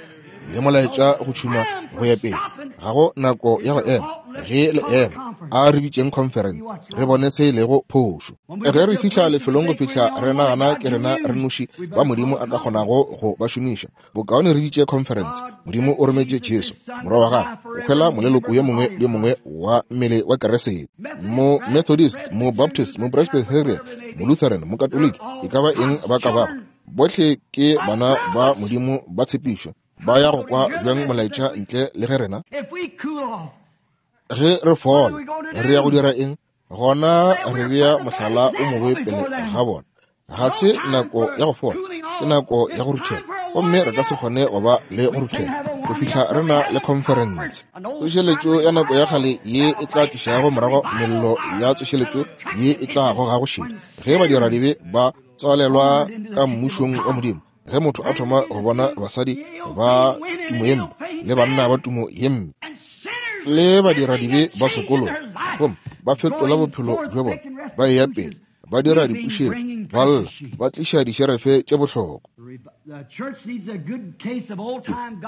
le molaetša go tšhuma go ya pele. Ga go nako ya go ema. Ge le ema, a re bitšeng conference, re bone se e lego phošo. Ge re fihla lefelong go fihla re nagana ke rena re noši ba Modimo a ka kgonago go ba šomiša, bokaone re bitše conference. Modimo o rometše Jesu, morwa wa gagwe, go hwela moleloko yo mongwe le yo mongwe wa mmele wa Keresete. Mo Methodist, mo Baptist, mo Presbyterian, mo Lutheran, mo Catholic, e ka ba eng ba ka bago, bohle ke bana ba Modimo ba tshepišo. Ba ya go kwa bjang molaetša ntle le ge rena? Ge re fola, re ya go dira eng? Gona re bea mohlala o mobe pele ga bona. Ga se nako ya go fola, ke nako ya go ruthela, gomme re ka se kgone go ba le go ruthela go fihla re na le conference. Tsošeletšo ya nako ya kgale ye e tla tlišago morago mello ya tsošeletšo ye e tla gogago šedi ge badiradibe ba tswalelwa ka mmušong wa Modimo. Ge motho a thoma go bona basadi ba tumo ye mpe le banna ba tumo ye mpe le badiradibe ba sokologa, gomme ba fetola bophelo bja bona, ba eya pele, ba dira dipušetšo, ba lla, ba tliša dišerefe tše bohlokwa.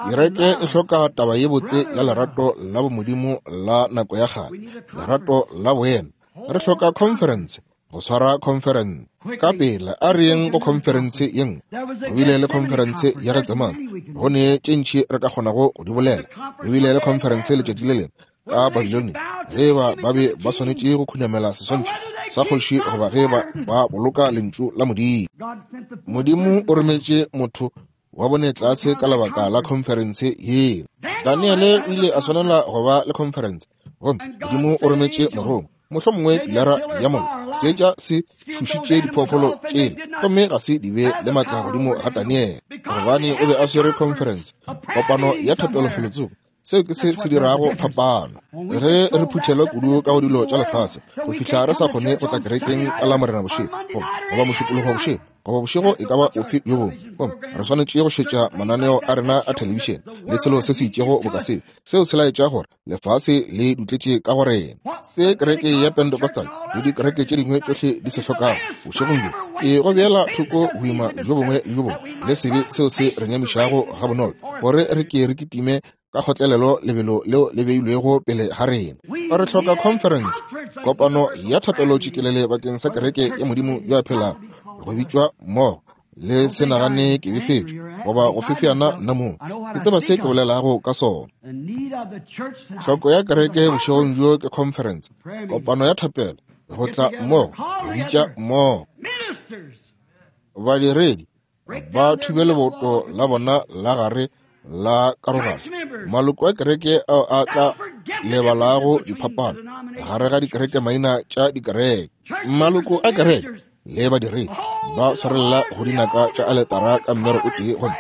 Kereke e hloka taba ye botse ya lerato la bomodimo la nako ya kgale, lerato la boena. Re hloka conference, go swara conference ka pela. A re yeng go conference ye nngwe. Go bile le conference ya Getsemane, go ne tše ntši re ka kgonago go di bolela. Go bile le conference letšatši le lengwe ka Babilonia, ge ba ba be ba swanetše go khunamela seswantšho sa kgoši goba ge ba ba boloka lentšu la Modimo. Modimo o rometše motho wa bone tlase ka lebaka la conference yeo. Daniele o ile a swanela go ba le conference, gomme Modimo o rometše morongwa, mohlomongwe pilara ya mollo. Seetša se tšhošitše diphoofolo tšela, gomme ga se di be le matla godimo ga Daniele, gobane o be a swere conference, kopano ya thapelo felotsoko. Seo ke se se dirago phapano. Ge re phuthelwa kudu ka go dilo tša lefase go fihla re sa kgone go tla kerekeng ka la Morena bošego, goba mošupologo bošego, goba bošego e ka ba ofe bjo bongwe, gomme re swanetše go šetša mananeo a rena a thelebišene le selo se se itšego boka seo, seo se laetša gore lefase le dutletše ka go rena. Se kereke ya Pentecostal le dikereke tše dingwe tšohle di se hlokago bošegong bjo Ke go beela thoko boima bjo bongwe le bjo bongwe le sebe seo se re nyamišago gabonolo, gore re ke re kitime ka kgotlelelo lebelo leo le beilwego pele ga rena. Re hloka conference, kopano ya thapelo tšikelele bakeng sa kereke ya Modimo yo a phelago, go bitšwa mmogo. Le se nagane ke befetšwe goba go fefeana nna mong. Ke tseba se ke bolelago ka sona. Tlhoko ya kereke bošegong bjo ke conference, kopano ya thapelo, go tla mmogo, go bitša mmogo. Badiredi ba thube leboto la bona la gare la karogano. Maloko a kereke ao a tla lebalago diphapano gare ga dikereke maina tša dikereke. Maloko a kereke le badiredi ba swarelela go dinaka tša aletara ka mmero o tee, gomme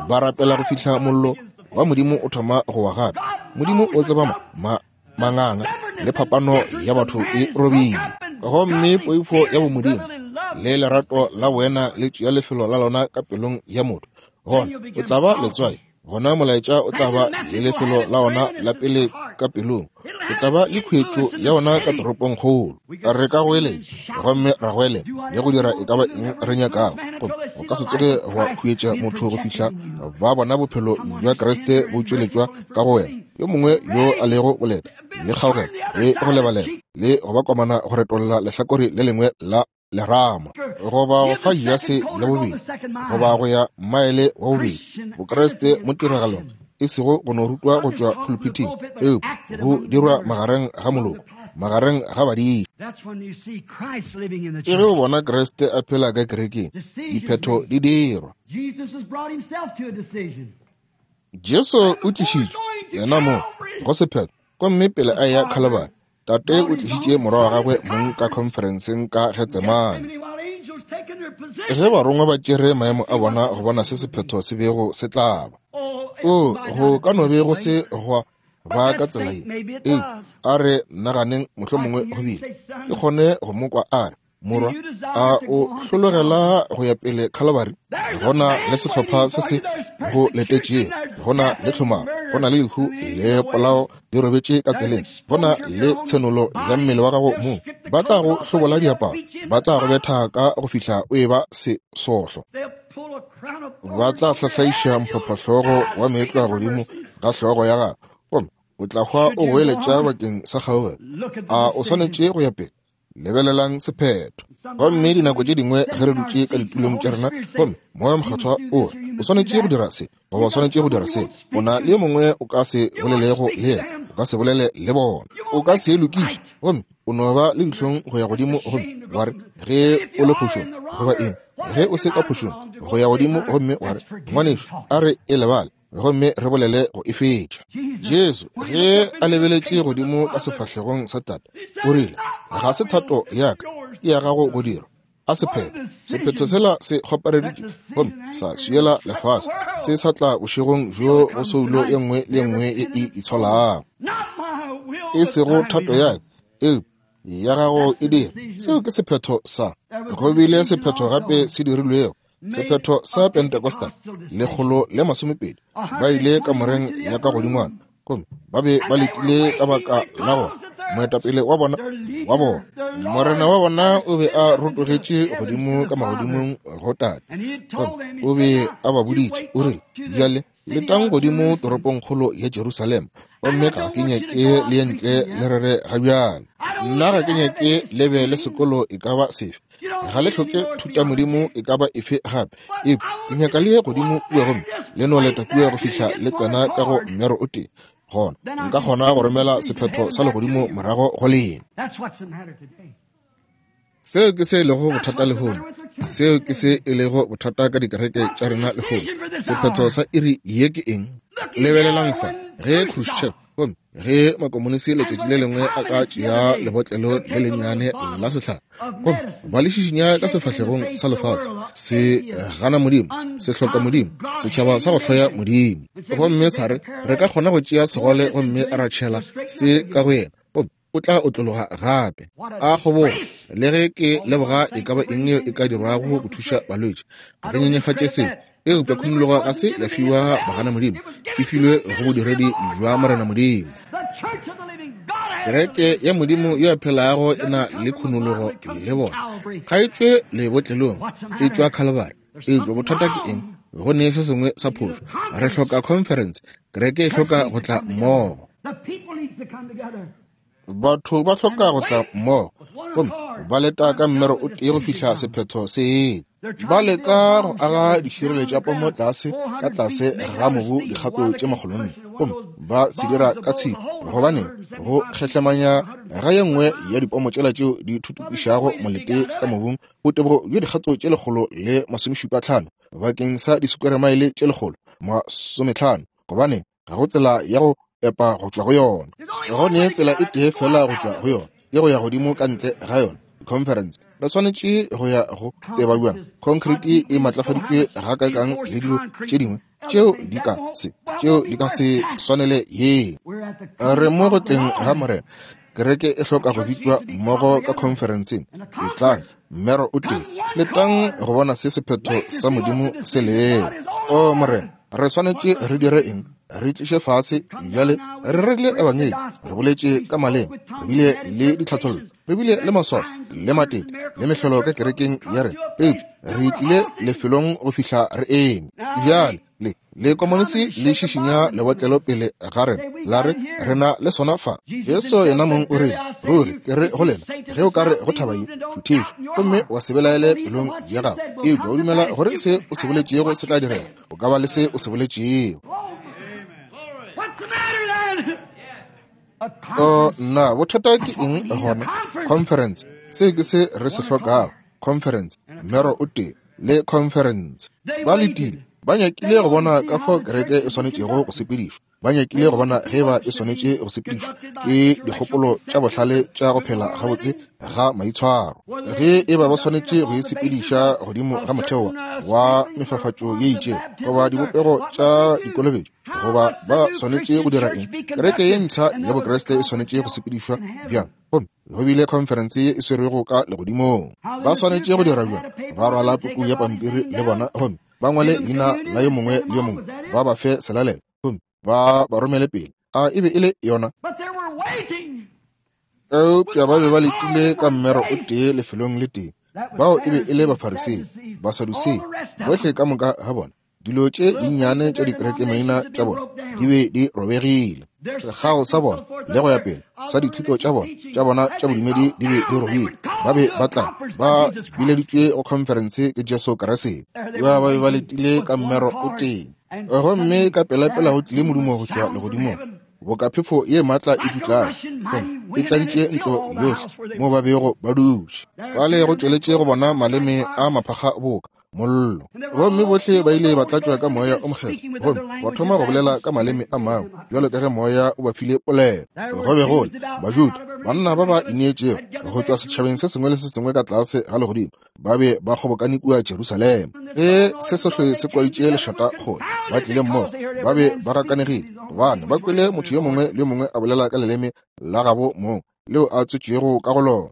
ba rapela go fihla mollo wa Modimo o thoma go wa gape. Modimo o tseba ma manganga le phapano ya batho e robile. Gomme poifo ya bomodimo le lerato la boena le tšea lefelo la lona ka pelong ya motho. Gona o tla ba letswai, gona molaetša o tla ba le lefelo la ona la pele ka pelong, o tla ba le khuetšo ya ona ka toropongkgolo. Re ka goeletša gomme ra goelela le go dira e ka ba eng re nyakago, gomme go ka se tsoge gwa khuetša motho go fihla ba bona bophelo bja Kriste bo tšweletšwa ka go wena. Yo mongwe yo a lego boleta le kgaogelo le go lebalela le go ba komana go retolla lehlakore le lengwe la lerama, goba go fa jase ya bobedi, goba go ya maele wa bobedi. Bokreste mo tiragalong e sego go no rutwa go tšwa pulpiting, eupša bo dirwa magareng ga moloko, magareng ga badiši. Ke ge o bona Kriste a phela ka kerekeng, diphetho di dirwa. Jesu o tlišitšwe yena mo go sephetho, gomme pele a ya Calvary, Tate o tlišitše morwa wa gagwe mong ka khonferenseng ka Getsemane. Ge barongwa ba tšere maemo a bona go bona se sephetho se bego se tla ba. O, go ka no be go se gwa ba ka tsela ye, eupša a re naganeng mohlomongwe go bile. Ke kgone go mo kwa a re, Morwa, a o hlologela go ya pele Calvary? Go na le sehlopha se se go letetšego, go na le tlhomamo, go na le lehu le polao di robetše ka tseleng, go na le tshenolo ya mmele wa gago mong. Ba tla go hlobola diaparo, ba tla go betha ka go fihla o eba sesohlo, ba tla hlahlaiša mphapahlogo wa meetlwa godimo ga hlogo ya gago, gomme o tla hwa o goeletša bakeng sa kgaogelo. A o swanetše go ya pele? Lebelelang sephetho. Gomme dinako tše dingwe ge re dutše ka ditulong tša rena, gomme Moya Mokgethwa o re o swanetše go dira se goba o swanetše go dira se, o na le yo mongwe o ka se bolelego le yena, o ka se bolele le bona, o ka se lokiše, gomme o no ba le dihlong go ya godimo gomme wa re ge o le phošong goba eng, ge o se ka phošong go ya godimo gomme wa re ngwanešu a re e lebale gomme re bolele go e fetša. Jesu ge a lebeletše godimo ka sefahlegong sa Tate, o rile, ga se thato ya ka, ke ya gago go dirwa. A sephetho, sephetho sela se kgopareditše gomme sa swiela lefase, se sa tla bošegong bjo go soulo ye nngwe le ye nngwe ye e itsholago. E sego thato ya ka, eupša ya gago e dira. Seo ke sephetho sa. Go bile sephetho gape se dirilwego, sephetho sa Pentecostal, lekgolo le masomepedi, ba ile kamoreng ya ka godingwana, gomme ba be ba letile ka baka la gore moetapele wa bona wa bona morena wa bona o be a rotogetše godimo ka magodimong go Tate, gomme o be a ba boditše, o rile, bjale letang godimo toropongkgolo ya Jerusalema, gomme ga ke nyake le ye ntle le rere ga bjale. Nna ga ke nyake le be le sekolo e ka ba sefe, ga le hloke thutamodimo e ka ba efe gape, eupša ke nyaka le ye godimo kua gomme le no leta kua go fihla le tsena ka go mmero o tee, gona nka kgona go romela sephetho sa legodimo morago go lena. Seo ke se e lego bothata lehono. Seo ke se e lego bothata ka dikereke tša rena lehono. Sephetho sa iri ye ke eng? Lebelelang fa ge Khrushchev gomme ge makomonisi letšatši le lengwe a ka tšea lebotlelo le lennyane la sehlare gomme ba le šišinya ka sefahlegong sa lefase, se gana Modimo, se hloka Modimo, setšhaba sa go hloya Modimo, gomme sa re re ka kgona go tšea segole gomme ra tšhela se ka go yena, gomme o tla otlologa gape. A kgobogo, le ge ke leboga e ka ba eng yeo e ka dirwago go thuša balwetši, ga ke nyenyefatše seo, eupša khumologo ga se ya fiwa bagana Modimo, e filwe go bodiredi bja Morena Modimo. Kereke ya Modimo yo a phelago e na le khunologo le bona. Ga e tšwe lebotlelong, e tšwa Calvary. Eupša bothata ke eng? Go ne se sengwe sa phošo. Re hloka conference. Kereke e hloka go tla mmogo. Batho ba hloka go tla mmogo gomme ba leta ka mmero o tee go fihla sephetho se etla. Ba leka go aga dišireletša pomo tlase ka tlase ga mobu dikgato tše makgolonne, gomme ba se dira ka tshipi, gobaneng go kgehlemanya ga ye nngwe ya dipomo tšela tšeo di thuthupišago molete ka mobung botebo bjo dikgato tše lekgolo le masomešupa tlhano bakeng sa disekweremaele tše lekgolo masometlhano, gobaneng ga go tsela ya go epa go tšwa go yona. Go ne tsela e tee fela go tšwa go yona, ke go ya godimo ka ntle ga yona. Conference re swanetše go ya go teba bjang? Concrete e matlafaditšwe gakaakang le dilo tše dingwe tšeo di ka se tšeo di ka se swanele ye. Re mo go tleng ga Morena. Kereke e hloka go bitšwa mmogo ka conferenceng. Etlang, mmero o tee. Letang go bona se sephetho sa Modimo se lego. O Morena, re swanetše re dire eng? Re tliše fase bjale. Re rerile ebangedi, re boletše ka maleme, re bile le ditlhathollo, re bile le maswao le matete le mehlolo ka kerekeng ya rena, eupša re tlile lefelong go fihla re eme. Bjale le le komonisi le šišinya lebotlelo pele ga rena, la re re na le sona fa. Jesu yena mong o rile, ruri ke re go lena, ge o ka re go thaba ye, šuthišwa, gomme wa se belaele pelong ya gago, eupša o dumela gore se o se boletšego se tla direga, o ka ba le se o se boletšego. O nna, bothata ke eng gona? Conference. Se ke se re se hlokago. Conference, mmero o tee le conference. Ba letile, ba nyakile go bona ka fao kereke e swanetšego go sepedišwa. Ba nyakile go bona ge ba e swanetše go sepedišwa ke dikgopolo tša bohlale tša go phela gabotse ga maitshwaro, ge e ba ba swanetše go e sepediša godimo ga motheo wa mefafatšo ye itšego goba dibopego tša dikolobetšo, goba ba swanetše go dira eng. Kereke ye mpsha ya Bokriste e swanetše go sepedišwa bjang? Gomme go bile conference ye e swerwego ka legodimong. Ba swanetše go dira bjang? Ba rwala puku ya pampiri le bona gomme ba ngwale leina la yo mongwe le yo mongwe, ba ba fe selalelo gomme ba ba romele pele. A e be e le yona? Eupša ba be ba letile ka mmero o tee lefelong le tee. Bao e be e le Bafarisei, Basadusei, bohle ka moka ga bona. Dilo tše dinnyane tša dikereke maina tša bona di be di robegile. Sekgao sa bona le go ya pele sa dithuto tša bona tša bona tša bodumedi di be di robile. Ba be ba tla ba bileditšwe go conference ke Jesu Kriste. Ba be ba letile ka mmero o tee. Gomme ka pelapela go tlile modumo go tšwa legodimong, boka phefo ye maatla e dutlago, gomme e tladitše ntlo yohle mo ba bego ba dutše. Bale go tšweletše go bona maleme a maphakga boka mollo, gomme bohle ba ile ba tlatšwa ka moya o mokgethwa, gomme ba thoma go bolela ka maleme a mangwe bjalo ka ge moya o ba file polelo. Go be go le Bajuda, banna ba ba ineetšego go tšwa setšhabeng se sengwe le se sengwe ka tlase ga legodimo, ba be ba kgobokane kua Jerusalema. Ge se sohle se kwaditše lešata kgole, ba tlile mmogo, ba be ba gakanegile, gobane ba kwele motho yo mongwe le yo mongwe a bolela ka leleme la gabo mong leo a tswetšwego ka go lona.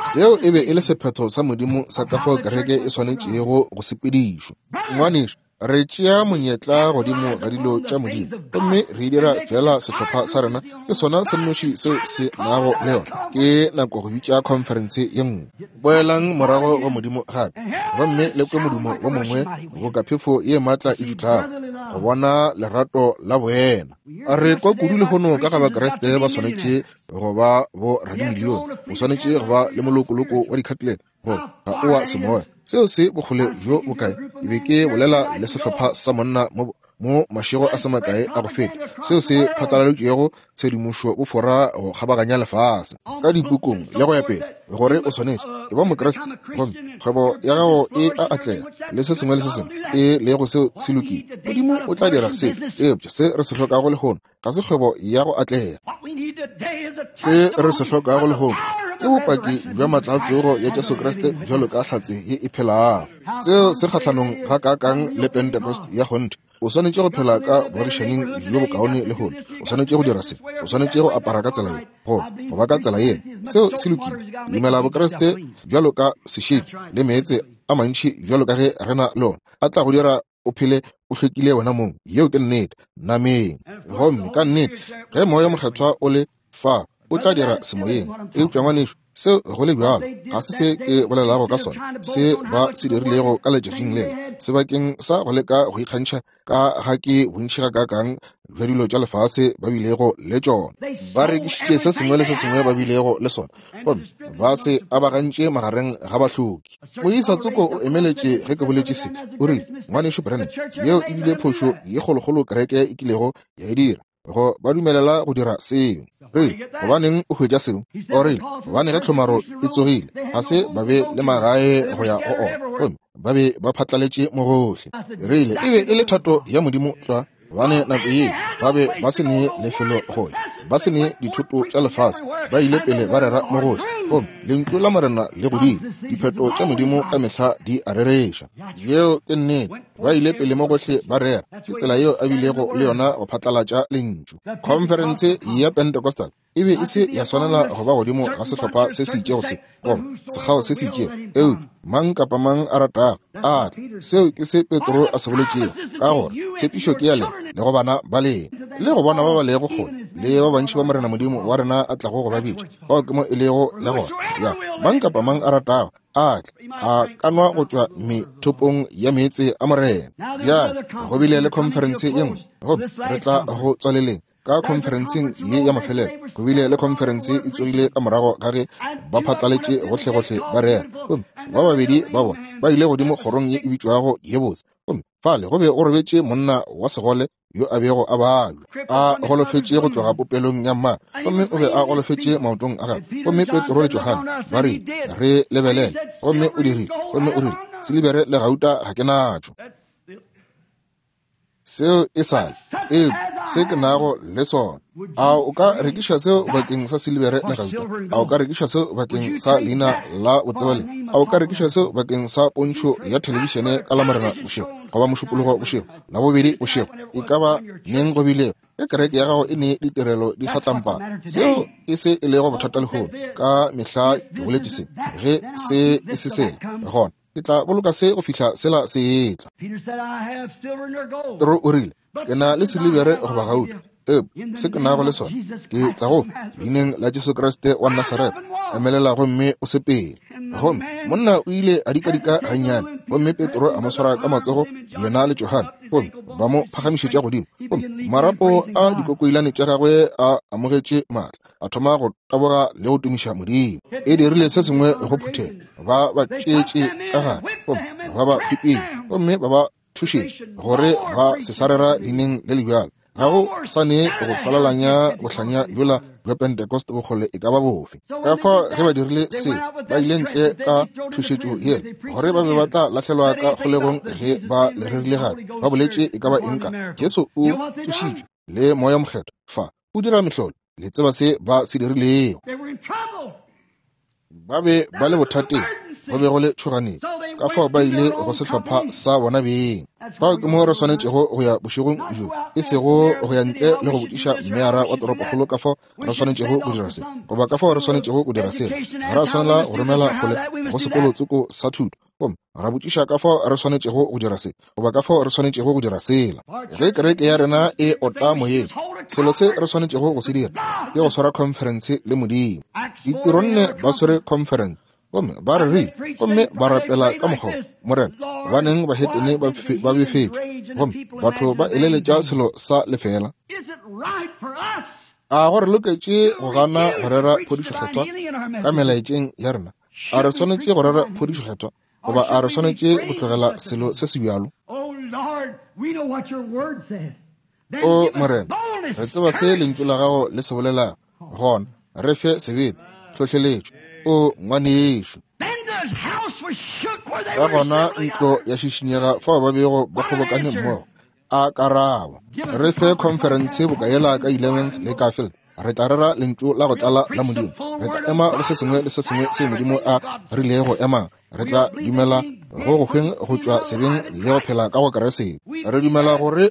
Seo e be e le sephetho sa Modimo sa ka fao kereke e swanetšego go sepedišwa. Ngwanešu, re tšea monyetla godimo ga dilo tša Modimo gomme re dira fela sehlopha sa rena ke sona se nnoši seo se nago le yona. Ke nako go bitša conference ye nngwe. Boelang morago go Modimo gape, gomme le kwe modumo wo mongwe boka phefo ye maatla e dutlago, go bona lerato la boena. Re kwa kudu lehono ka ga Bakriste ba swanetše go ba bo radimilione, o swanetše go ba le molokoloko wa dikhatlele, gore ga o wa semoya. Seo se bokgole bjo bokae? Ke be ke bolela le sehlopha sa monna mo mo mašego a se makae a go feta, seo se phatlaladitšwego tshedimošo bofora go kgabaganya lefase ka dipukung le go ya pele, gore o swanetše e ba Mokriste gomme kgwebo ya gago e a atlega le se sengwe le se sengwe e lego seo se lokile. Modimo o tla dira seo. Eupša se re se hlokago lehono ga se kgwebo ya go atlega. Se re se hlokago lehono ke bopaki bja maatla a tsogo ya Jesu Kriste bjalo ka hlatse ye e phelago. Seo se kgahlanong gakaakang le Pentecost ya kgonthe. O swanetše go phela ka boagišaning bjo bokaone lehono. O swanetše go dira se. O swanetše go apara ka tsela ye, go go ba ka tsela ye. Seo se lokile. Dumela Bokriste bjalo ka sešepi le meetse a mantši bjalo ka ge re na le ona, a tla go dira o phele o hlwekile wena mong. Yeo ke nnete nameng. Gomme ka nnete ge moya mokgethwa o le fa, O tla dira semoyeng. Eupša ngwanešu, seo go le bjalo ga se se ke bolelago ka sona, se ba se dirilego ka letšatšing lela, sebakeng sa go leka go ikgantšha ka ga ke bontši gakaakang bja dilo tša lefase ba bilego le tšona. Ba rekišitše se sengwe le se sengwe ba bilego le sona, gomme ba se abagantše magareng ga bahloki. Moisa tsoko o emeletše ge ke boletše se, o rile, ngwanešu Branham, yeo e bile phošo ye kgolokgolo kereke e kilego ya e dira, go ba dumelela go dira seo. Rile, gobaneng o hwetša seo? O rile, gobane ge tlhomaro e tsogile, ga se ba be le magae go ya go ona, gomme ba be ba phatlaletše mo gohle. Rile, e be e le thato ya Modimo tlwa, gobane nako ye ba be ba se ne lefelo go ya, ba se ne dithoto tša lefase, ba ile pele ba rera mo gohle, gomme lentšu la Morena le godile. Dipheto tša Modimo ka mehla di a rereša. Yeo ke nnete. Ba ile pele mo gohle ba rera. Ke tsela yeo a bilego le yona go phatlalatša lentšu. Khonferense ya Pentecostal e be e se ya swanela go ba godimo ga sehlopha se se itšego se, goba sekgao se se itšego, eupša mang kapa mang a ratago a tle. Seo ke se Petro a se boletšego, ka gore tshepišo ke ya lena le go bana ba lena, le go bona ba ba lego kgole, le ba bantši ba Morena Modimo wa rena a tlago go ba bitša. Bao ke mo e lego ya gona. Ya mang kapa mang a ratago a tle, a ka nwa go tšwa methopong ya meetse a Morena. Bjale go bile le khonferense ye nngwe, gomme re tla go tswaleleng ka khonferenseng ye ya mafelelo. Go bile le khonferense e tsogile ka morago ga ge ba phatlaletše gohlegohle ba rera, gomme ba babedi ba bona ba ile godimo kgorong ye e bitšwago ye botse, gomme fale go be go robetše monna wa segole yo a bego a babja, a golofetše go tloga popelong ya mmagwe, gomme o be a golofetše maotong a gagwe. Gomme Petro le Johane ba rile, re lebelele. Gomme o dirile, gomme o rile, silibere le gauta ga ke natšo, seo e sale, eupša se ke nago le sona. A o ka rekiša seo bakeng sa silibere le gauta? A o ka rekiša seo bakeng sa leina la botsebalegi? A o ka rekiša seo bakeng sa pontšho ya thelebišene ka Lamorena bošego, goba Mošupologo bošego, Labobedi bošego, e ka ba neng go bilego, ge kereke ya gago e ne ditirelo di kgatlampana? Seo e se e lego bothata lehono. Ka mehla ke boletše se, ge se e se sela, gona ke tla boloka se go fihla sela se etla. Petro o rile, ke na le silibere goba gauta, eupša se ke nago le sona ke tla go fa, leineng la Jesu Kriste wa Nasaretha, emelela gomme o sepele. Gomme monna o ile a dikadika gannyane, gomme Petro a mo swara ka matsogo, yena le Johane, gomme ba mo phagamišetša godimo. Gomme marapo a dikokoilane tša gagwe a amogetše maatla, a thoma go taboga le go tumiša Modimo. E dirile se sengwe go phuthego, ba ba tšeetše ka gare, gomme ba ba pipile, gomme ba ba thušetše gore ba se sa rera leineng le le bjalo. Ga go sa ne go falalanya bohlanya bjola bja Pentecost bokgole e ka ba bofe. Ka fao ge ba dirile se, ba ile ntle ka thušetšo yela, gore ba be ba tla lahlelwa ka kgolegong ge ba le rerile gape. Ba boletše e ka ba eng ka Jesu o tsošitšwe le Moya Mokgethwa fa o dira mehlolo. Le tseba se ba se dirilego. Ba be ba le bothateng, go be go le tšhoganetšo, ka fao ba ile go sehlopha sa bona beng. Fao ke mo re swanetšego go ya bošegong bjo, e sego go ya ntle le go botšiša mmeara wa toropokgolo ka fao re swanetšego go dira se, goba ka fao re swanetšego go dira sela. Ga ra swanela go romela kgole go sekolotsoko sa thuto, gomme ra botšiša ka fao re swanetšego go dira se, goba ka fao re swanetšego go dira sela. Ge kereke ya rena e ota moyeng, selo se re swanetšego go se dira ke go swara khonferense le Modimo. Ditironne ba swere khonferense, gomme ba rerile, gomme ba rapela ka mokgwa, Morena, gobaneng bahetene ba befetšwe, gomme batho ba eleletša selo sa lefela? A go re loketše go gana go rera phodišokgethwa ka melaetšeng ya rena? A re swanetše go rera phodišokgethwa, goba a re swanetše go tlogela selo se se bjalo? O Morena, re tseba se lentšu la gago le se bolelago, gona re fe sebete, tlhohleletšo. O ngwanešo. Ka gona ntlo ya šišinyega fao ba bego ba kgobokane mmogo. A karabo, re fe khonferense boka yela ka eleventh le Garfield. Re tla rera lentšu la go tlala la Modimo. Re tla ema go se sengwe le se sengwe seo Modimo a rilego emang. Re tla dumela go go hweng go tšwa sebeng le go phela ka go Kriste. Re dumela gore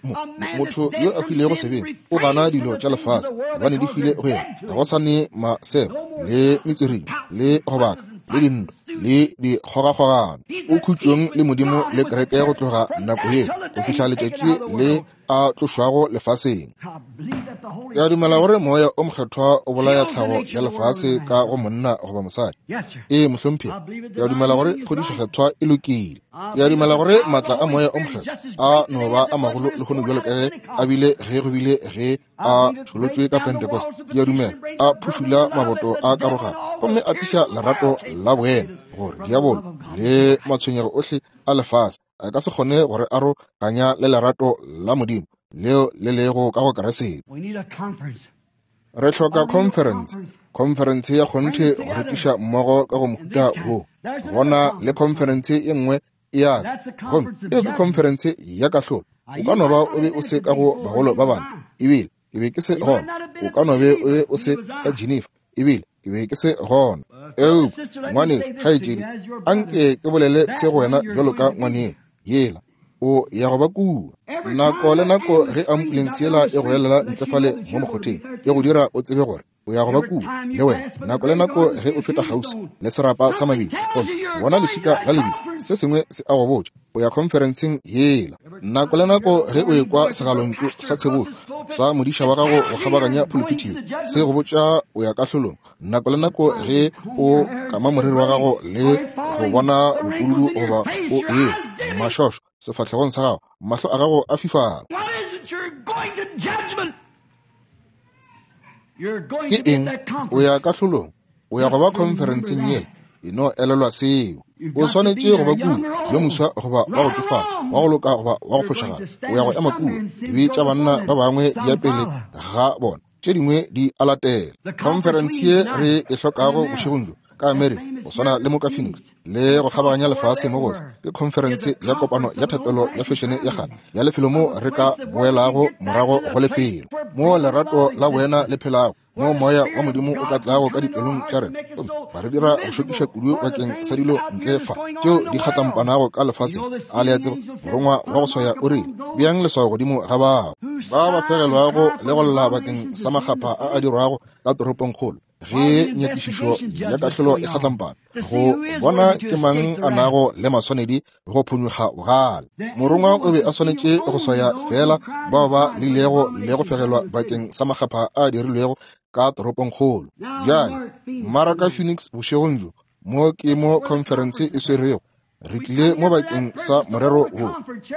motho yo a hwilego sebeng o gana dilo tša lefase, gobane di hwile go yena. Ga go sa ne masebo le metswiring le go baka le dintwa le dikgogakgogano. O khutšong le Modimo le kereke go tloga nako ye go fihla letšatši le a tlošwago lefaseng. Ke a dumela gore Moya o Mokgethwa o bolaya tlhago ya lefase ka go monna goba mosadi. Ee, mohlomphegi. Ke a dumela gore phodišo kgethwa e lokile. Ke a dumela gore maatla a Moya o Mokgethwa a no ba a magolo lehono bjalo ka ge a bile ge go bile ge a tšholotšwe ka Pentecost. Ke a dumela a phušula maboto a karogano gomme a tliša lerato la boena gore diabolo le matshwenyego ohle a lefase a ka se kgone gore aroganya le lerato la Modimo leo le lego ka go Kriste. Re hloka conference, conference ya kgonthe go re tliša mmogo ka go mohuta wo. Gona le conference ye nngwe e a tla, gomme eo ke conference ya kahlolo. O ka no ba o be o se ka go bagolo ba bane, ebile ke be ke se gona. O ka no be o be o se ka Geneva, ebile ke be ke se gona. Eupša ngwanešu, kgaetšedi, anke ke bolele se go wena bjalo ka ngwaneno yela o ya go ba kua. Nako le nako ge ambulense yela e go elela ntle fale mo mokgotheng, e go dira o tsebe gore o ya go ba kua le wena. Nako le nako ge o feta kgauswi le serapa sa mabili gomme bona leswika la lebili, se sengwe se a go botša o ya conferenceng yela. Nako le nako ge o ekwa segalontšu sa tshebošo sa modiša wa gago go kgabaganya pulpiti, se go botša o ya kahlolong. Nako le nako ge o kama moriri wa gago le go bona bopududu goba o ewa mašošo sefahlegong sa gago, mahlo a gago a fifala. Ke eng? O ya kahlolong, o ya go ba conferenceng yela. E no elelwa seo. O swanetše go ba kua, yo moswa goba wa go tšofala, wa go loka goba wa go fošagala. O ya go ema kua. Dibe tša banna ba bangwe di ya pele ga bona, tše dingwe di a latela. Conference ye re e hlokago bošegong bjo ka Amerika, go swana le mo ka Phoenix le go kgabaganya lefase mo gohle, ke conference ya kopano ya thapelo ya fešene ya kgale ya lefelo mo re ka boelago morago go lefelo mo lerato la boena le phelago, mo moya wa Modimo o ka tlago ka dipelong tša rena gomme ba re dira go šokiša kudu bakeng sa dilo ntle fa tšeo di kgatlampanago ka lefaseng. A le a tseba, morongwa wa go swaya o rile, beang leswao godimo ga bao ba ba fegelwago le go lla bakeng sa makgapha a a dirwago ka toropongkgolo ge nyakišišo ya kahlolo e kgatlampana go bona ke mang a nago le maswanedi go phonyokga bogale. Morongwa o be a swanetše go swaya fela bao ba lilego le go fegelwa bakeng sa makgapha a dirilwego ka toropongkgolo. Bjale mmaraka Phoenix bošegong bjo, mo ke mo conference e swerwego. Re tlile mo bakeng sa morero wo,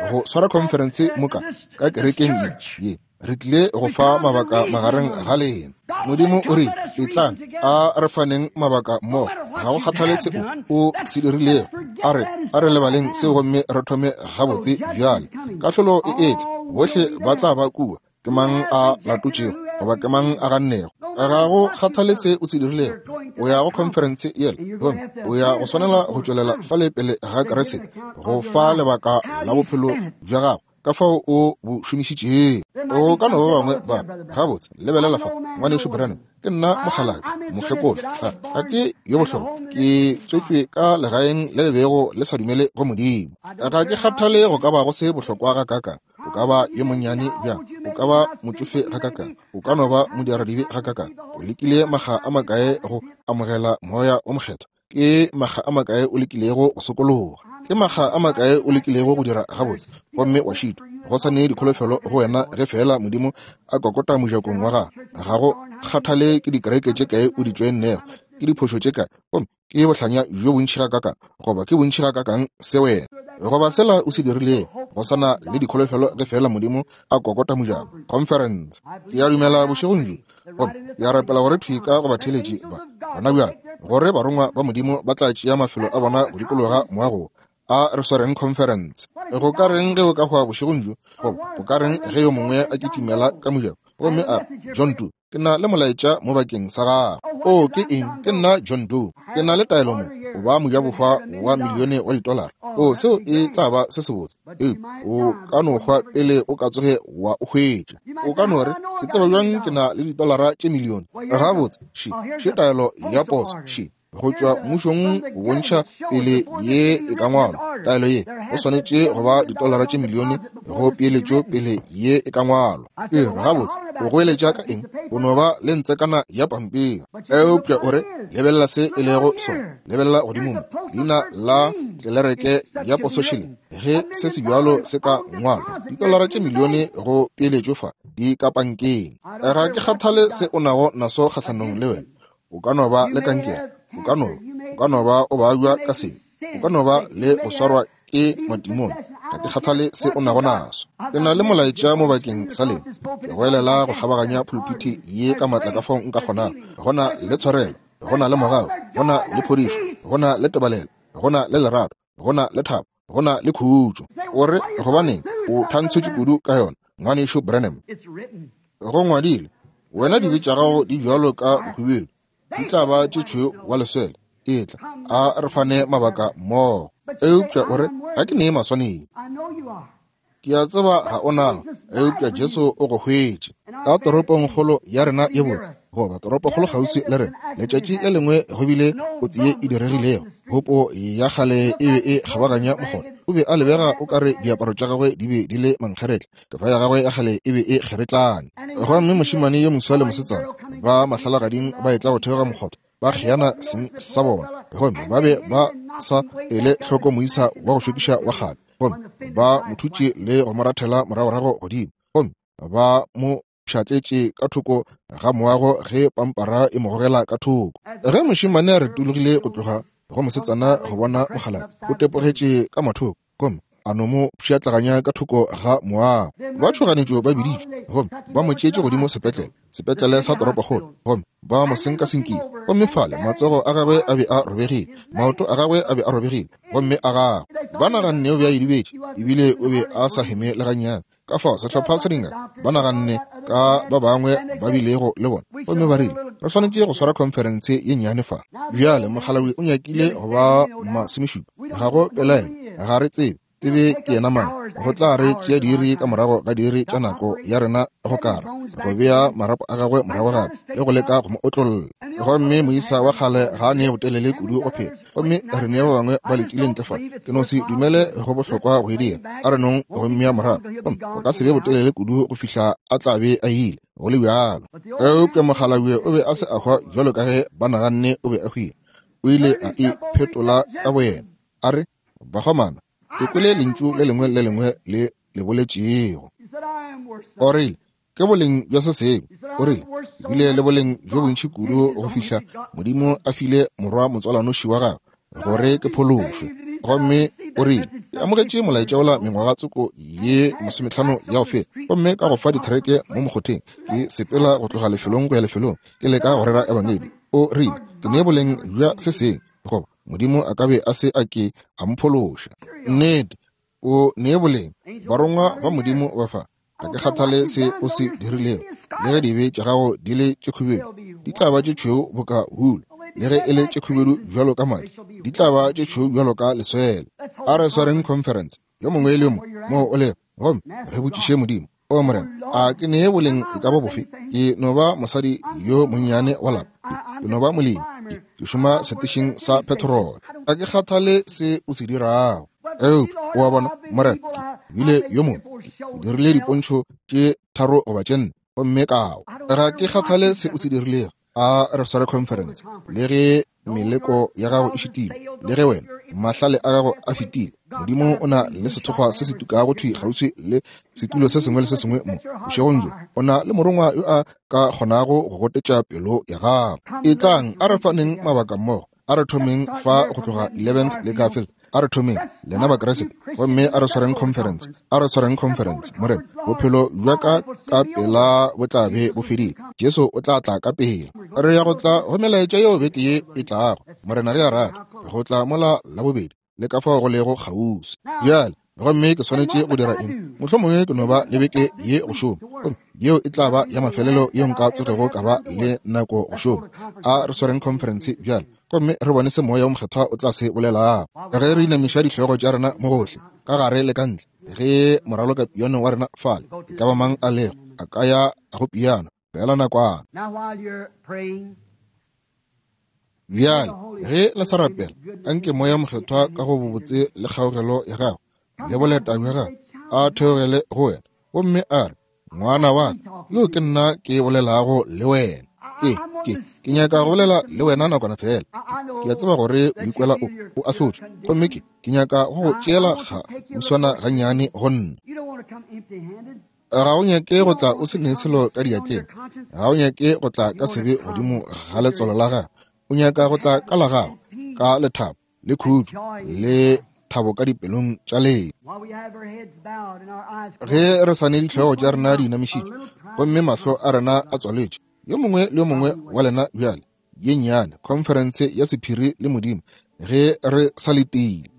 go swara conference moka ka kerekeng ye ye. Re tlile go fa mabaka magareng ga lena. Modimo o rile, etlang a re faneng mabaka mmogo. Ga go kgathale seo o se dirilego, a re a re lebaleng seo gomme re thome gabotse bjale. Kahlolo e etla, bohle ba tla ba kua. Ke mang a latotšego goba ke mang a gannego? Ga go kgathale se o se dirilego, o ya go conference yela gomme o ya go swanela go tšwelela fale pele ga Kriste go fa lebaka la bophelo bja gago ka fao o bo šomišitšego. O ka no ba bangwe ba gabotse, lebelela fa, ngwanešu Branham, ke nna mokgalabje, mokgekolo, ga ga ke yo bohlokwa, ke tswetšwe ka legaeng le le bego le sa dumele go Modimo. Ga ke kgathale go ka ba go se bohlokwa ga kakang, o ka ba yo monnyane bjang, o ka ba motšofe ga kakang, o ka no ba modiradibe ga kakang. O lekile makga a makae go amogela Moya o Mokgethwa? Ke makga a makae o lekilego go sokologa? Ke makga a makae o lekilego go dira gabotse gomme wa šitwa? Go sa ne dikholofelo go wena ge fela Modimo a kokota mojakong wa gago. Ga go kgathale ke dikereke tše kae o di tšoennego, ke diphošo tše kae, gomme ke bohlanya bjo bontši ga kakang goba ke bontši ga kakang se wena goba sela o se dirilego. Go sana le dikholofelo ge fela Modimo a kokota mojako. Conference. Ke a dumela bošegong bjo gomme ke a rapela gore thwi ka go batheeletši ba gona bjale gore barongwa ba Modimo ba tla tšea mafelo a bona go dikologa moago. A re swareng conference. Go ka reng ge o ka hwa bošegong bjo, goba go ka reng ge yo mongwe a kitimela ka mojako gomme a re, John Doe, ke na le molaetša mo bakeng sa gago. O ke eng? Ke nna John Doe. Ke na le taelo mo, o ba mojabohwa wa milione wa ditolara. O seo e tla ba se sebotse, eupša o ka no hwa pele o ka tsoge wa o hwetša. O ka no re, ke tseba bjang ke na le ditolara tše milione? Gabotse, še še taelo ya poso, še go tšwa mmušong go bontšha pele ye e ka ngwalwa. Taelo ye go swanetše go ba ditolara tše milione go peeletšo pele ye e ka ngwalwa. Ee, gabotse, o goeletša ka eng? O no ba le ntsekana ya pampiri. Eupša o re, lebelela se e lego sona, lebelela godimo mo, Leina la tlelereke ya posošile ge se se bjalo se ka ngwalwa. Ditolara tše milione go peeletšo fa di ka pankeng. Ga ke kgathale se o nago naso kgahlanong le wena. O ka no ba le kankere, o ka no, o ka no ba o babja ka sebe, o ka no ba le go swarwa ke matimone. Ga ke kgathale se o nago naso. Ke na le molaetša mo bakeng sa lena. Ke goelela go kgabaganya pulpiti ye ka matla ka fao nka kgonago. Go na le tshwarelo, go na le mogau, go na le phodišo, go na le tebalelo, go na le lerato, go na le thabo, go na le khutšo. O re gobaneng o thantshetše kudu ka yona, ngwanešu Branham? Go ngwadilwe, wena dibe tša gago di bjalo ka bohubedu, di tla ba tše tšhweu wa leswele. Etla, a re fane mabaka mmogo. Eupša o re, ga ke nee maswanedi. Ke a tseba ga o nao, eupša Jesu o go hwetše. Ka toropongkgolo ya rena ye botse, goba toropokgolo kgauswi le rena, letšatši le lengwe go bile kotsi ye e diregilego. Hopo ya kgale e be e kgabaganya mokgotha. O be a lebega o ka re diaparo tša gagwe di be di le mankgeretla, kefa ya gagwe ya kgale e be e kgeretlane. Gomme mošemane yo moswa le mosetsana ba mahlalagading ba etla go theoga mokgotha, ba kgeana seng sa bona, gomme ba be ba sa ele hloko moisa wa go šokiša wa kgale, gomme ba mo thutše le go mo rathela moragorago godimo, gomme ba mo pšhatletše ka thoko ga moago ge pampara e mo gogela ka thoko. Ge mošemane a retologile go tloga go mosetsana go bona mokgalabje, o tepogetše ka mathoko, gomme a no mo pšhatlaganya ka thoko ga moago. Ba tšhoganetšo ba biditšwe, gomme ba mo tšeetše godimo sepetlele, sepetlele sa toropokgolo, gomme ba mo senkasenkile. Gomme fale matsogo a gagwe a be a robegile, maoto a gagwe a be a robegile, gomme a gagwe ba naganne o be a idibetše, ebile o be a sa heme le gannyane. Ka fao sehlopha sa dingaka ba naganne ka ba bangwe ba bilego le bona, gomme ba rile re swanetše go swara khonferense ye nnyane fa. Bjale mokgalabje o nyakile go ba masomešupa, ga go pelaelo, ga re tsebe tsebe ke yena mang. Go tla re tšea diiri ka morago ga diiri tša nako ya rena go kara go bea marapo a gagwe morago gape le go leka go mo otlolla. Gomme moisa wa kgale ga a ne botelele kudu go phela, gomme re ne ba bangwe ba letile ntle fa. Ke no se dumele go bohlokwa go e dira. A re nong go mmea morago, gomme go ka se be botelele kudu go fihla a tla be a ile go le bjalo. Eupša mokgalabje o be a se a hwa bjalo ka ge ba naganne o be a hwile. O ile a iphetola ka boyena, a re, bakgomana, ke kwele lentšu le lengwe le lengwe le le boletšego. O rile, ke boleng bja se sengwe. O rile, bile le boleng bjo bontši kudu go fihla Modimo a file morwa motswalanoši wa gagwe gore ke phološwe. Gomme o rile, ke amogetše molaetša wola mengwaga tsoko ye masometlhano ya go feta, gomme ka go fa dithereke mo mokgotheng, ke sepela go tloga lefelong go ya lefelong, ke leka go rera ebangedi. O rile, ke nee boleng bja se sengwe, goba Modimo a ka be a se a ke a mphološa. Nnete, o nee boleng. Barongwa ba Modimo ba fa. Ga ke kgathale se o se dirilego, le ge dibe tša gago di le tše khubedu, di tla ba tše tšhweu boka wool, le ge e le tše khubedu bjalo ka madi, di tla ba tše tšhweu bjalo ka leswele. A re swareng conference yo mongwe le yo mongwe moo o lego, gomme re botšiše Modimo, o Morena, a ke nee boleng e ka ba bofe? Ke no ba mosadi yo monnyane wa lapa, ke no ba molemi, ke šoma setešeng sa petrol. Ga ke kgathale se o se dirago. Eupša o a bona, Morena, ke bile yo mongwe, ke dirile dipontšho tše tharo goba tše nne, gomme kao. Ga ke kgathale se o se dirilego. A re sware conference, le ge meleko ya gago e šitile, le ge wena mahlale a gago a fetile, Modimo o na le sethokgwa se se tukago thwi kgauswi le setulo se sengwe le se sengwe mo bošegong bjo. O na le morongwa yo a ka kgonago go gotetša pelo ya gago. Etlang, a re faneng mabaka mmogo. A re thomeng fa go tloga eleventh le Garfield. A re thomeng lena Bakreste, gomme a re swareng conference. A re swareng conference. Morena, bophelo bja ka ka pela bo tla be bo fedile. Jesu o tla tla ka pela. Re ya go tla go melaetša yeo beke ye e tlago. Morena ge a rata, go tla mola la bobedi le ka fao go lego kgauswi. Bjale, gomme ke swanetše go dira eng? Mohlomongwe ke no ba le beke ye go šoma, gomme yeo e tla ba ya mafelelo yeo nka tsogego ka ba le nako go šoma. A re swareng conference bjale, gomme re bone se Moya o Mokgethwa o tla se bolelago. Ge re inamiša dihlogo tša rena mo gohle, ka gare le ka ntle, ge moraloka piano wa rena fale, e ka ba mang a lego, a ka ya go piano fela nakwana. Bjale, ge le sa rapela, anke Moya Mokgethwa ka go bobotse le kgaogelo ya gagwe le boleta bja gagwe a theogele go wena, gomme a re, ngwana wa ka, yo ke nna ke bolelago le wena. Ke, ke, ke nyaka go bolela le wena nakwana fela. Ke a tseba gore o ikwela o, o ahlotšwe. Gomme ke, ke nyaka go go tšeela ga uswana gannyane go nna. Ga o nyake go tla o se ne selo ka diatleng. Ga o nyake go tla ka sebe godimo ga letswalo la gago. O nyaka go tla ka la gago, ka lethabo, le khutšo, le thabo ka dipelong tša lena. Ge re sa ne dihlogo tša rena di inamišitšwe gomme mahlo a rena a tswaletšwe, yo mongwe le yo mongwe wa lena bjale, ye nnyane khonferense ya sephiri le Modimo, ge re sa letile.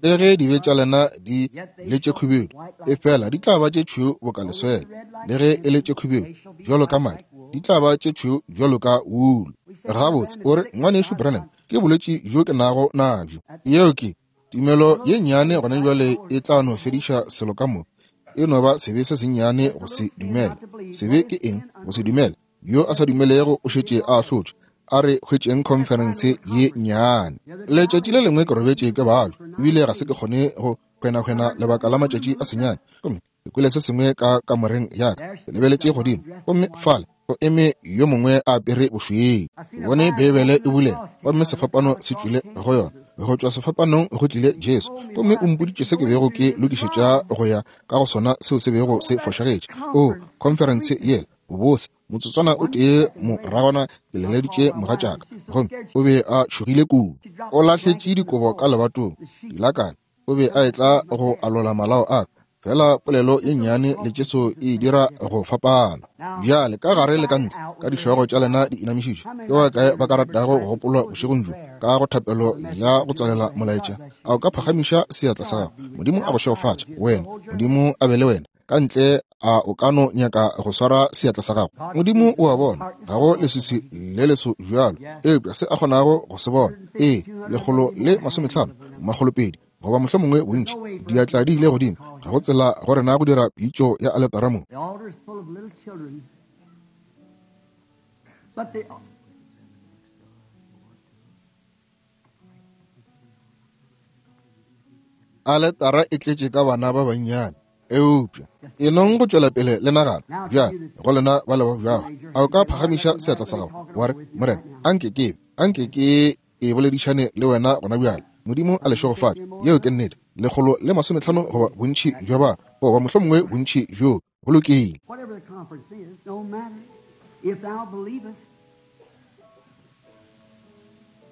Le ge dibe tša lena di le tše khubedu, efela di tla ba tše tšhweu boka leswele, le ge e le tše khubedu bjalo ka madi, di tla ba tše tšhweu bjalo ka wulu. Gabotse, o re, ngwanešu Branham, ke bolwetši bjo ke nago nabjo. Yeo ke tumelo ye nnyane gona bjale e tla no fediša selo ka moka. E no ba sebe se sennyane go se dumele. Sebe ke eng? Go se dumele. Yo a sa dumelego o šetše a ahlotšwe. A re hwetšeng khonferense ye nnyane. Letšatši le lengwe ke robetše ke babja, ebile ga se ke kgone go hwenahwena lebaka la matšatši a senyane. Gomme ke kwele se sengwe ka kamoreng ya ka. Ke lebeletše godimo, gomme fale go eme yo mongwe a apere bošweu. Ke bone Beibele e bulela, gomme sefapano se tšwile go yona. Go tšwa sefapanong go tlile Jesu, gomme o mpoditše se ke bego ke lokišetša go ya ka go sona seo se bego se fošagetše. O, khonferense yela, bobose. Motsotswana o tee moragwana ke leleditše mogatšaka, gomme o be a tšhogile kudu. O lahletše dikobo ka lebatong, dilakane. O be a etla go alola malao a ka. Fela polelo ye nnyane le Jesu e dira go fapana. Bjale ka gare le ka ntle, ka dihlogo tša lena di inamišitšwe, ke ba kae ba ka ratago go gopolwa bošegong bjo ka go thapelo ya go tswalela molaetša? A o ka phagamiša seatla sa gago? Modimo a go šegofatše wena. Modimo a be le wena. Ka ntle a o ka no nyaka go swara seatla sa gago? Modimo o a bona, ga go leswiswi le leso bjalo, eupša se a kgonago go se bona. Ee, lekgolo le masometlhano, makgolopedi, goba mohlomongwe bontši, diatla di ile godimo. Ga go tsela go rena go dira pitšo ya aletara mo. Aletara e tletše ka bana ba bannyane, eupša e nong go tšwela pele le nagana. Bjale go lena ba le ba bjago, a o ka phagamiša seatla sa gago wa re, Morena, anke ke anke ke e boledišane le wena gona bjale. Modimo a le šegofatše. Yeo ke nnete. Lekgolo le masometlhano goba bontši bja ba, goba mohlomongwe bontši bjo. Go lokile.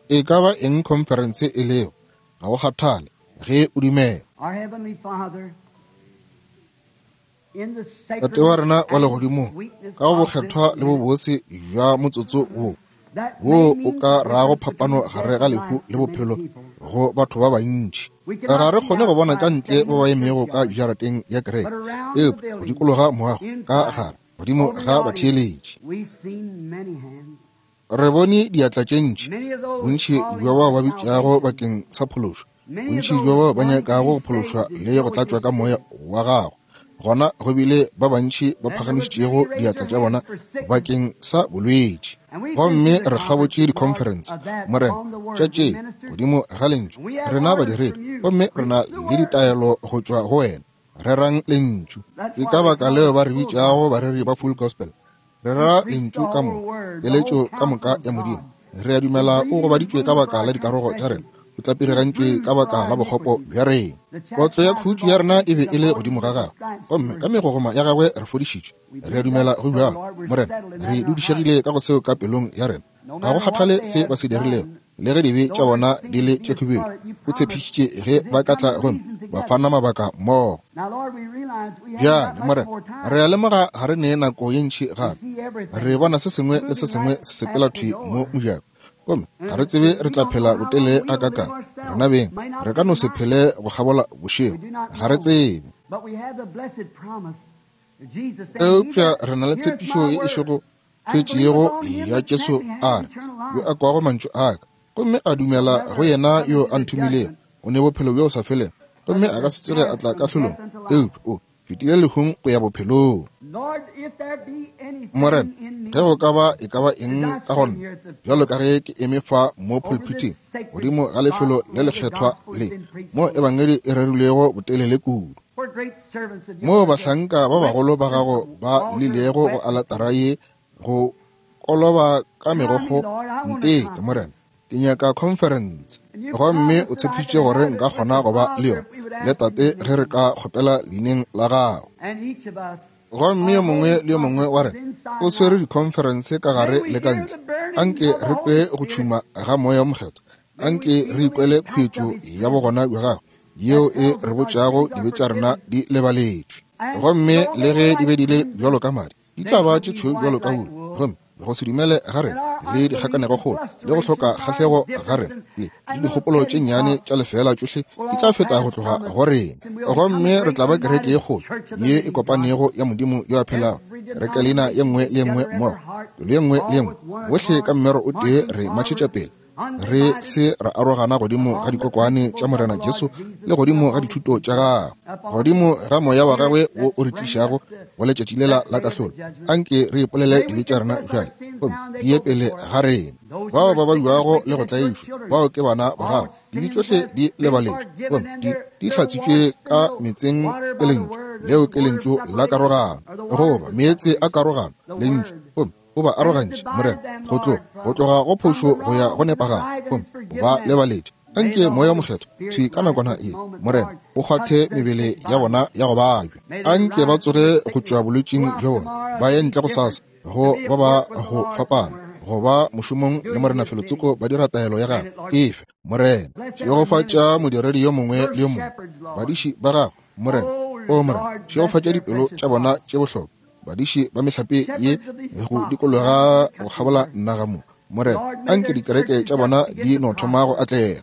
E ka ba eng khonferense e lego, ga go kgathale ge o dumela. Tate wa rena wa legodimong, ka go bokgethwa le bobose bja motsotso wo, wo o ka rago phapano gare ga lehu le bophelo go batho ba bantši. Ga re kgone go bona ka ntle ba ba emego ka jarateng ya kereke, eupša go dikologa moago ka gare godimo ga batheeletši. Re bone diatla tše ntši, bontši bja bao ba bitšago bakeng sa phološo, bontši bja bao ba nyakago go phološwa le go tlatšwa ka moya wa gago. Gona go bile ba bantši ba phagamišitšego diatla tša bona bakeng sa bolwetši. Gomme re kgabotše dikhonferense, Morena, tša tše godimo ga lentšu. Rena badiredi, gomme re na le ditaelo go tšwa go wena. Rerang lentšu. Ke ka baka leo ba re bitšago bareri ba full gospel. Re rera lentšu ka moka, keletšo ka moka ya Modimo. Re a dumela o gobaditšwe ka baka la dikarogo tša rena, o tlapirigantšwe ka baka la bokgopo bja rena. Kotlo ya khutšo ya rena e be e le godimo ga gagwe, gomme ka megogoma ya gagwe re fodišitšwe. Re a dumela go bjalo, Morena. Re dudišegile ka go seo ka pelong ya rena. Ga go kgathale se ba se dirilego, le ge dibe tša bona di le tše khubedu, o tshepišitše ge ba ka tla gomme ba fana mabaka mmogo. Bjale, Morena, re a lemoga ga re ne nako ye ntši gape. Re bona se sengwe le se sengwe se sepela thwi mo mojako, gomme ga re tsebe re tla phela botelele gakakang. Rena beng re ka no se phele go kgabola bošego, ga re tsebe. Eupša re na le tshepišo ye e šego hwetšego ya Jesu a re, yo a kwago mantšu a ka gomme a dumela go yena yo a nthomilego, o ne bophelo bjo sa felego, gomme a ka se tsoge a tla kahlolong, eupša o fetile lehung go ya bophelong. Morena, ge go ka ba e ka ba eng ka go nna, bjalo ka ge ke eme fa mo pulpiting godimo ga lefelo le lekgethwa le mo ebangedi e rerilwego botelele kudu, moo bahlanka ba bagolo ba gago ba lilego go aletara ye go koloba ka megokgo, nteke, Morena, ke nyaka conference. Gomme o tshepišitše gore nka kgona go ba le yona le Tate ge re ka kgopela leineng la gago. Gomme yo mongwe le yo mongwe wa rena o swere dikhonferense ka gare le ka ntle. Anke re kwe go tšhuma ga Moya wo Mokgethwa. Anke re ikwele khuetšo ya bogona bja gago yeo e re botšago dibe tša rena di lebaletšwe. Gomme le ge di be di le bjalo ka madi, di tla ba tše tšhweu bjalo ka wulu. Gomme go se dumele ga rena le dikgakanegokgolo le go hloka kgahlego ga rena le le dikgopolo tše nnyane tša lefeela tšohle di tla feta go tloga go rena. Gomme re tla ba kereke ye kgolo ye e kopanego ya Modimo yo a phelago. Kereke leina ye nngwe le ye nngwe mmogo, pelo ye nngwe le ye nngwe, bohle ka mmero o tee re matšhetša pele, re se ra arogana godimo ga dikokwane tša Morena Jesu le godimo ga dithuto tša gagwe, godimo ga moya wa gagwe wo o re tlišago go letšatši lela la kahlolo. Anke re ipolele dibe tša rena bjale gomme di ye pele ga rena. Bao ba bajuago le go tlaišwa, bao ke bana ba gago, dibe tšohle di lebaletšwe gomme di di hlatswitšwe ka meetseng ke lentšu. Leo ke lentšu la karogano, goba meetse a karogano, lentšu, gomme o ba arogantše, Morena, go tloga go tloga go phošo go ya go nepagalo, gomme o ba lebaletše. Anke Moya wo Mokgethwa thwi ka nakwana ye, Morena, o kgwathe mebele ya bona ya go babja. Anke ba tsoge go tšwa bolwetšing bja bona, ba ye ntle go sasa go ba ba go fapana, go ba mošomong le Morena felotsoko ba dira taelo ya gagwe. Efe, Morena, šegofatša modiredi yo mongwe le yo mongwe, badiši ba gago, Morena. O Morena, šegofatša dipelo tša bona tše bohlokwa, badiši ba mehlape ye go dikologa go kgabola naga mo. Morena, anke dikereke tša bona di no thoma go atlega.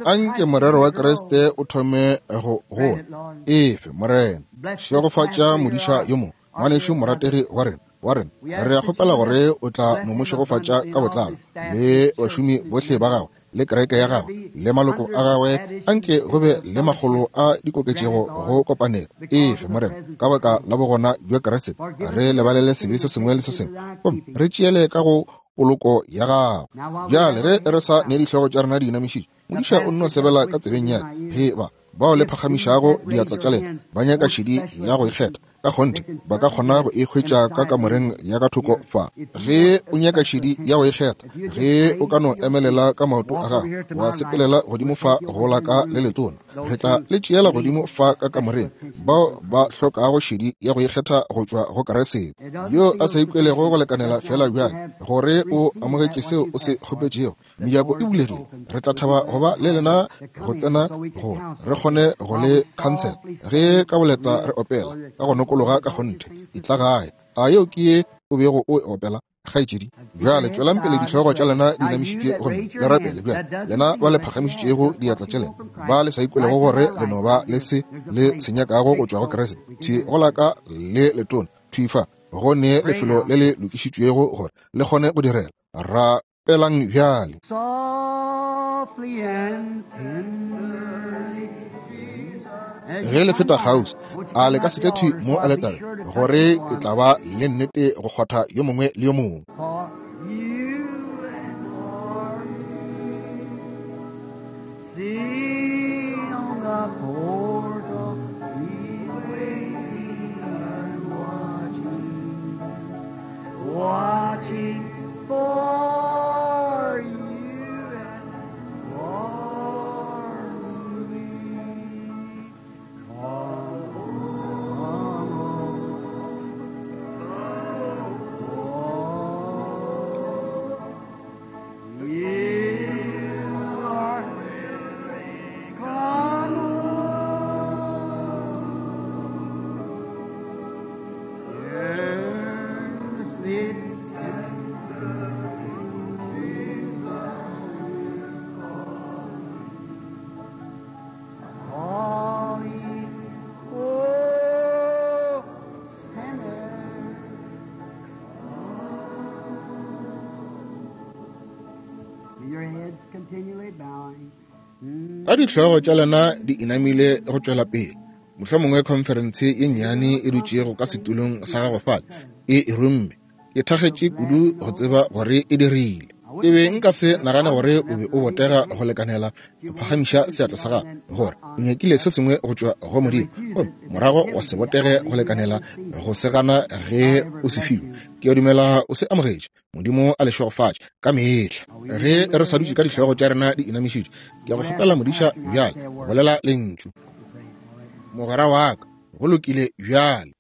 Anke morero wa Kriste o thome go gola. Efe, Morena, šegofatša modiša yo mongwe, ngwanešu morategi wa rena, wa rena. Re a kgopela gore o tla no mo šegofatša ka botlalo le bašomi bohle ba gagwe le kereke ya gagwe le maloko a gagwe. Anke go be le makgolo a dikoketšego go kopanelo. Efe, Morena, ka baka la bogona bja Kriste, re lebalele sebe se sengwe le se sengwe gomme re tšeele ka go poloko ya gago. Bjale ge re sa ne dihlogo tša rena di inamišitše, modiša o nno sebela ka tsebeng ya he ba bao le phagamišago diatla tša lena ba nyaka šedi ya go ikgetha, ka kgonthe ba ka kgona go e hwetša ka kamoreng ya ka thoko fa. Ge o nyaka šedi ya go ikgetha, ge o ka no emelela ka maoto a gago wa sepelela godimo fa go la ka le letona, re tla le tšeela godimo fa ka kamoreng bao ba hlokago šedi ya go ikgetha go tšwa go Kriste, yo a sa ikwelego go lekanela fela bjale gore o amogetše seo o se kgopetšego. Mejako e bulegile, re tla thaba go ba le lena go tsena gore re kgone go le khansela ge ka boleta re opela ka go nokologa ka kgonthe. E tla gae. A yeo ke ye o bego o e opela, kgaetšedi? Bjale tšwelang pele dihlogo tša lena di inamišitše gomme le rapele. Bjale lena ba le phagamišitšego diatla tša lena, ba le sa ikwelego gore le no ba le se le se nyakago go tšwa go Kriste, thwi go la ka le letona, thwi fa go ne lefelo le le lokišitšwego gore le kgone go direla. Rapelang bjale. Ge le feta kgauswi, a le ka se tle thwi mo aletare, gore e tla ba le nnete go kgwatha yo mongwe le yo mongwe. Watching for you and for me. Come, come, oh, you are come earnestly. Calling, oh, sinner. Your heads continually bowing. Ka dihlogo tša lena di inamile go tšwela pele, mohlomongwe khonferense ye nnyane e dutšego ka setulong sa gago fale e e romme. Ke thakgetše kudu go tseba gore e dirile. Ke be nka se nagane gore o be o botega go lekanela go phagamiša seatla sa gago, gore o nyakile se sengwe go tšwa go Modimo, gomme morago wa se botege go lekanela go se gana ge o se filwe. Ke a dumela o se amogetše. Modimo a le šegofatše ka mehla. Ge re sa dutše ka dihlogo tša rena di inamišitše, ke a go kgopela modiša bjale, bolela lentšu. Mogwera wa ka, go lokile bjale.